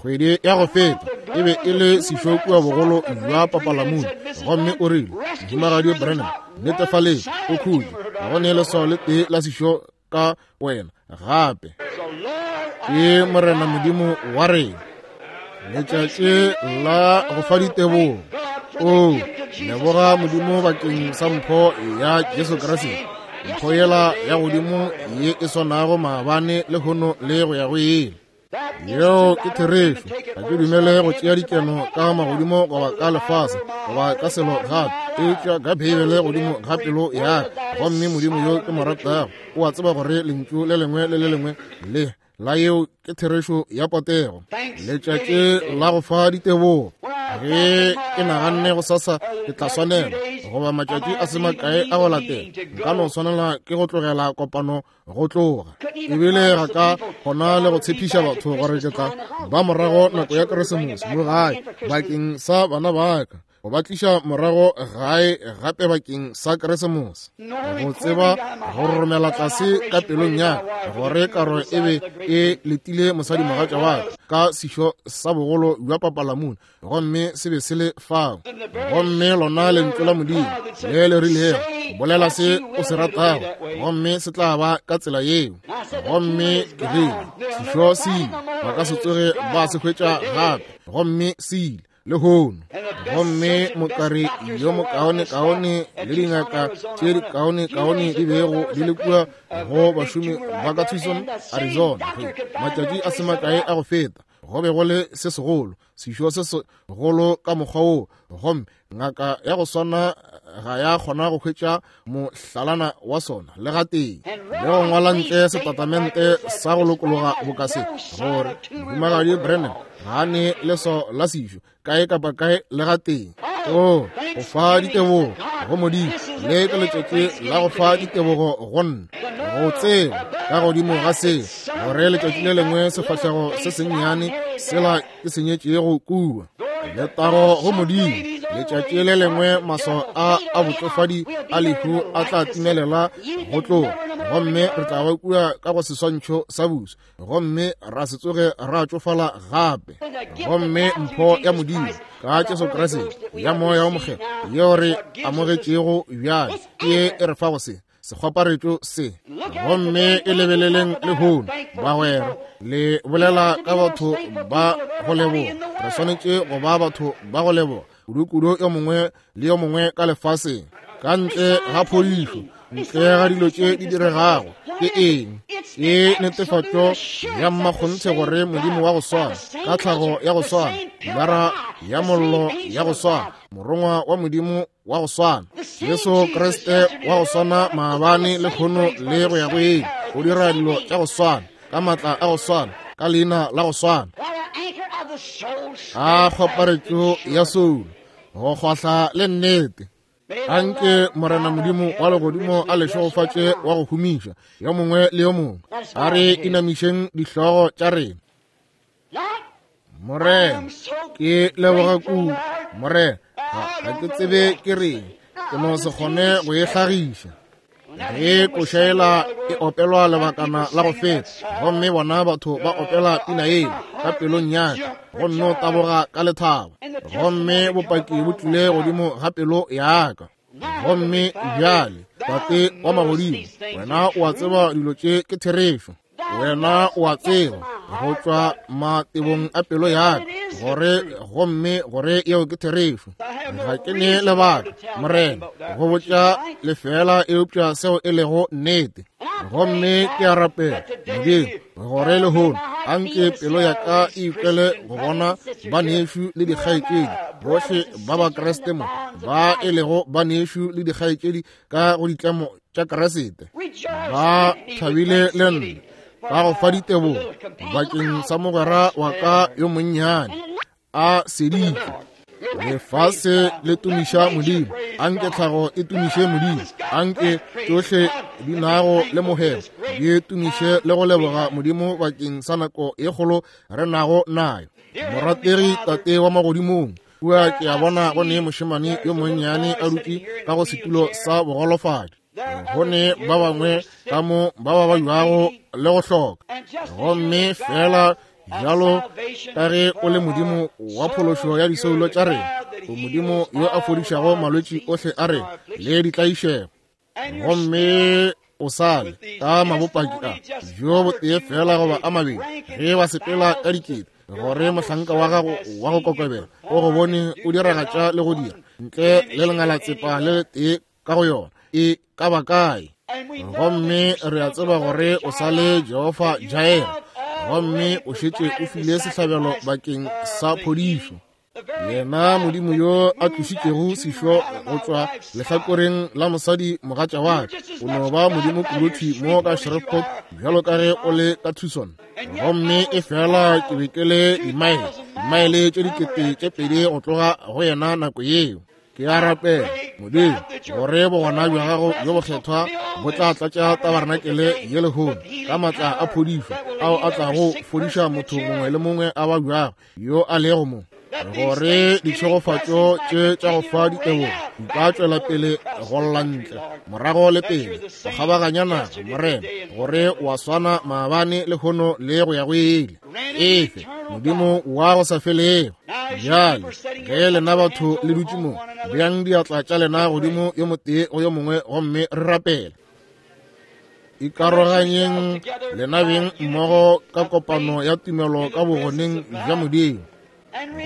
Kgwedi ya go feta e be e le sešo kua bogolo bja papalamune, gomme o rile, mohumagadi Branham, netefaleng o khutše, ga go ne leswao le tee la sešo ka wena gape. Ke Morena Modimo wa rena. Letšatši la go fa ditebogo. O leboga Modimo bakeng sa mpho ya Jesu Kriste, mpho yela ya godimo ye e swanago maabane lehono le go ya go ile. Yeo ke therešo. Ga ke dumele go tšea dikeno ka magodimo goba ka lefase goba ka selo gape, eupša ka Beibele godimo ga pelo ya ka. Gomme Modimo yo ke mo ratago o a tseba gore lentšu le lengwe le le lengwe le la yeo ke therešo ya potego. Letšatši la go fa ditebogo. Ge ke naganne go sasa ke tla swanela goba matšatši a se makae a go latela, nka no swanela ke go tlogela kopano go tloga. Ebile ga ka kgona le go tshepiša batho gore ke tla ba morago nako ya Keresemose mo gae bakeng sa bana ba ka, go ba tliša morago gae gape bakeng sa Keresemose. Go tseba go romela tlase ka pelong ya ka gore karo e be e letile mosadi mogatša wa ka ka sešo sa bogolo bja papalamune, gomme se be se le fao. Gomme lona lentšu la Modimo le le rilego, bolela se o se ratago, gomme se tla ba ka tsela yeo. Gomme ke rile, sešo se ile, ba ka se tsoge ba se hwetša gape, gomme se ile lehono. Gomme mokari yo mokaonekaone le dingaka tše dikaonekaone di bego di le kua go bašomi ba ka Tucson, Arizona, matšatši a se makae a go feta, go be go le se segolo, sešo se segolo ka mokgwa woo, gomme ngaka ya go swana ga ya kgona go hwetša mohlalana wa sona le gatee, le go ngwala ntle setatamente sa go lokologa bokase gore mohumagadi Branham ga a ne leswao la sešo kae kapa kae le gatee. O go fa ditebogo go Modimo, le ke letšatši la go fa ditebogo go nna, go tseba ka godimo ga seo gore letšatši le lengwe sefahlego se sennyane sela ke senyetšego kua. Letago go Modimo, letšatši le lengwe maswao a a botšofadi a lehu a tla timelela go tloga, gomme re tla ba kua ka go seswantšho sa buso, gomme ra se tsoge ra tšofala gape. Gomme mpho ya Modimo ka Jesu Kriste ya Moya wo Mokgethwa yeo re amogetšego bjale ke ye e re fago se sekgwaparetšo se. Gomme e lebeleleng lehono, bagwera, le bolela ka batho ba go leboga. Re swanetše go ba batho ba go leboga kudu-kudu yo mongwe le yo mongwe ka lefaseng, ka ntle ga phodišo, ntle ga dilo tše di diregago. Ke eng? Ke netefatšo ya mmakgonthe gore Modimo wa go swana, ka tlhago ya go swana, pilara ya mollo ya go swana, morongwa wa Modimo wa go swana, Jesu Kriste wa go swana maabane lehono le go ya go ile, o dira dilo tša go swana, ka maatla a go swana, ka leina la go swana. A kgwaparetšo ya soulo, go kgwahla le nnete. Anke Morena Modimo wa legodimo a le šegofatše wa go humiša yo mongwe le yo mongwe. A re inamišeng dihlogo tša rena. Morena, ke leboga kudu. Morena, ga ke tsebe ke reng, ke no se kgone go e hlagiša. Ge košaela e opelwa lebakana la go feta, gomme bona batho ba opela pina yela ka pelong ya ka, go nno taboga ka lethabo, gomme bopaki bo tlile godimo ga pelo ya ka. Gomme bjale, Tate wa magodimo, wena o a tseba dilo tše ke therešo. Wena o a tseba go tšwa matebong a pelo ya ka gore gomme gore yeo ke therešo. Ga ke ne lebaka, Morena, go botša lefela eupša seo e lego nnete. Gomme ke a rapela, Modimo, gore lehono anke pelo ya ka e ikwele go bona banešu le dikgaetšedi bohle ba ba Kriste mo, ba e lego banešu le dikgaetšedi ka go ditlamo tša Kriste, ba thabile le nna ka go fa ditebogo bakeng sa mogwera wa ka yo monnyane a seditšwe. Lefase le tumiša Modimo, anke tlhago e tumiše Modimo, anke tšohle di nago le mohemo di tumiše le go leboga Modimo bakeng sa nako e kgolo re nago nayo. Morategi Tate wa magodimong, kua ke a bona go ne mošemane yo monnyane a dutše ka go setulo sa bogolofadi. Go ne ba bangwe ka mo ba ba bajuago le go hloka. Gomme fela bjalo ka ge o le Modimo wa phološo ya disoulo tša rena, o Modimo yo a fodišago malwetši ohle a rena le ditlaišego. Gomme o sale ka mabopaki a bjo botee fela goba a mabedi ge ba sepela ka dikete, gore mohlanka wa gago wa go kokobela o go bone o diragatša le go dira ntle le lengalatsepa le letee ka go yona e ka ba kae. Gomme re a tseba gore o sa le Jehofa Jireh, gomme o šetše o file sehlabelo bakeng sa phodišo. Yena Modimo yo a tlošitšego sešo go tšwa lehlakoreng la mosadi mogatša wa ka, o no ba Modimo kudu mo ka Shreveport bjalo ka ge o le ka Tucson. Gomme e fela ke be ke le dimaele, dimaele tše dikete tše pedi go tloga go yena nako yeo. Ke a rapela, Modimo, gore bogona bja gago bjo bokgethwa bo tla tlatša tabarenakele ye lehono ka maatla a phodišo ao a tlago fodiša motho mongwe le mongwe a babjago yo a lego mo, gore ditšhegofatšo tše tša go fa ditebogo di ka tšwela pele go lla ntle morago le pele go kgabaganya naga, Morena, gore o a swana maabane lehono le go ya go ile. Efe Modimo wa go sa felego. Bjale ge lena batho le dutše mo, beang diatla tša lena godimo yo motee go yo mongwe gomme re rapela. Ikaroganyeng lena beng mmogo ka kopano ya tumelo ka bogoneng bja Modimo.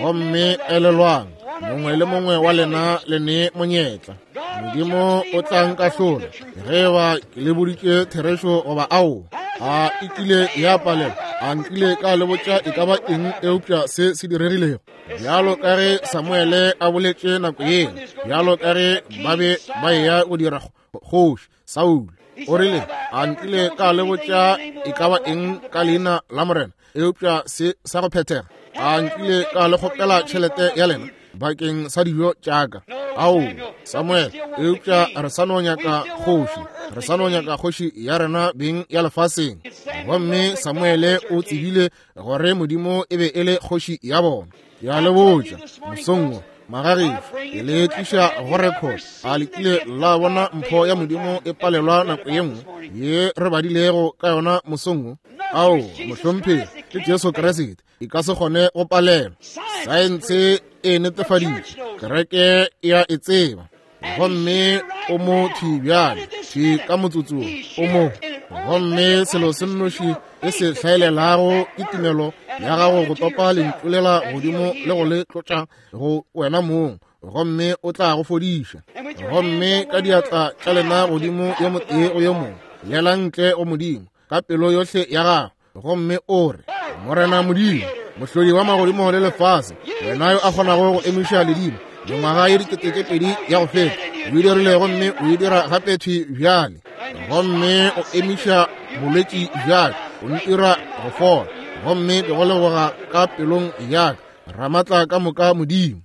Gomme elelwang, mongwe le mongwe wa lena le ne monyetla. Modimo o tla nkahlola ge eba ke le boditše therešo goba ao. A e kile ya palela, a nkile ka le botša e ka ba eng eupša se se diregilego. Bjalo ka ge Samuele a boletše nako yeo, bjalo ka ge ba be ba eya go dira kgoši Saulo, o rile, a nkile ka le botša e ka ba eng ka leina la Morena eupša se sa go phethega. A nkile ka le kgopela tšhelete ya lena bakeng sa dijo tša ka. Ao, Samuel, eupša re sa no nyaka kgoši, re sa no nyaka kgoši ya rena beng ya lefaseng. Gomme Samuele o tsebile gore Modimo e be e le kgoši ya bona. Ke a le botša mosong wo, magagešo, ke le tliša go record. A le kile la bona mpho ya Modimo e palelwa nako ye nngwe ye re badilego ka yona mosong wo? Ao, mohlomphegi, ke Jesu Kriste, e ka se kgone go palelwa. Saense e netefaditše, kereke e a e tseba. Gomme o mo thwi bjale, thwi ka motsotsong o mo. Gomme selo se nnoši e se hlaelelago ke tumelo ya gago go topa lentšu lela godimo le go le tlotša go wena mong, gomme o tla go fodiša. Gomme ka diatla tša lena godimo yo motee go yo mongwe, llela ntle go Modimo ka pelo yohle ya gago, gomme o re, Morena Modimo, mohlodi wa magodimo le lefase, wena yo a kgonago go emiša ledimo mengwaga ye dikete tše pedi ya go feta, o e dirile gomme o e dira gape thwi bjale. Gomme o emiša bolwetši bjale, o ntira go fola, gomme ke go leboga ka pelong ya ka, Ramatla ka moka Modimo.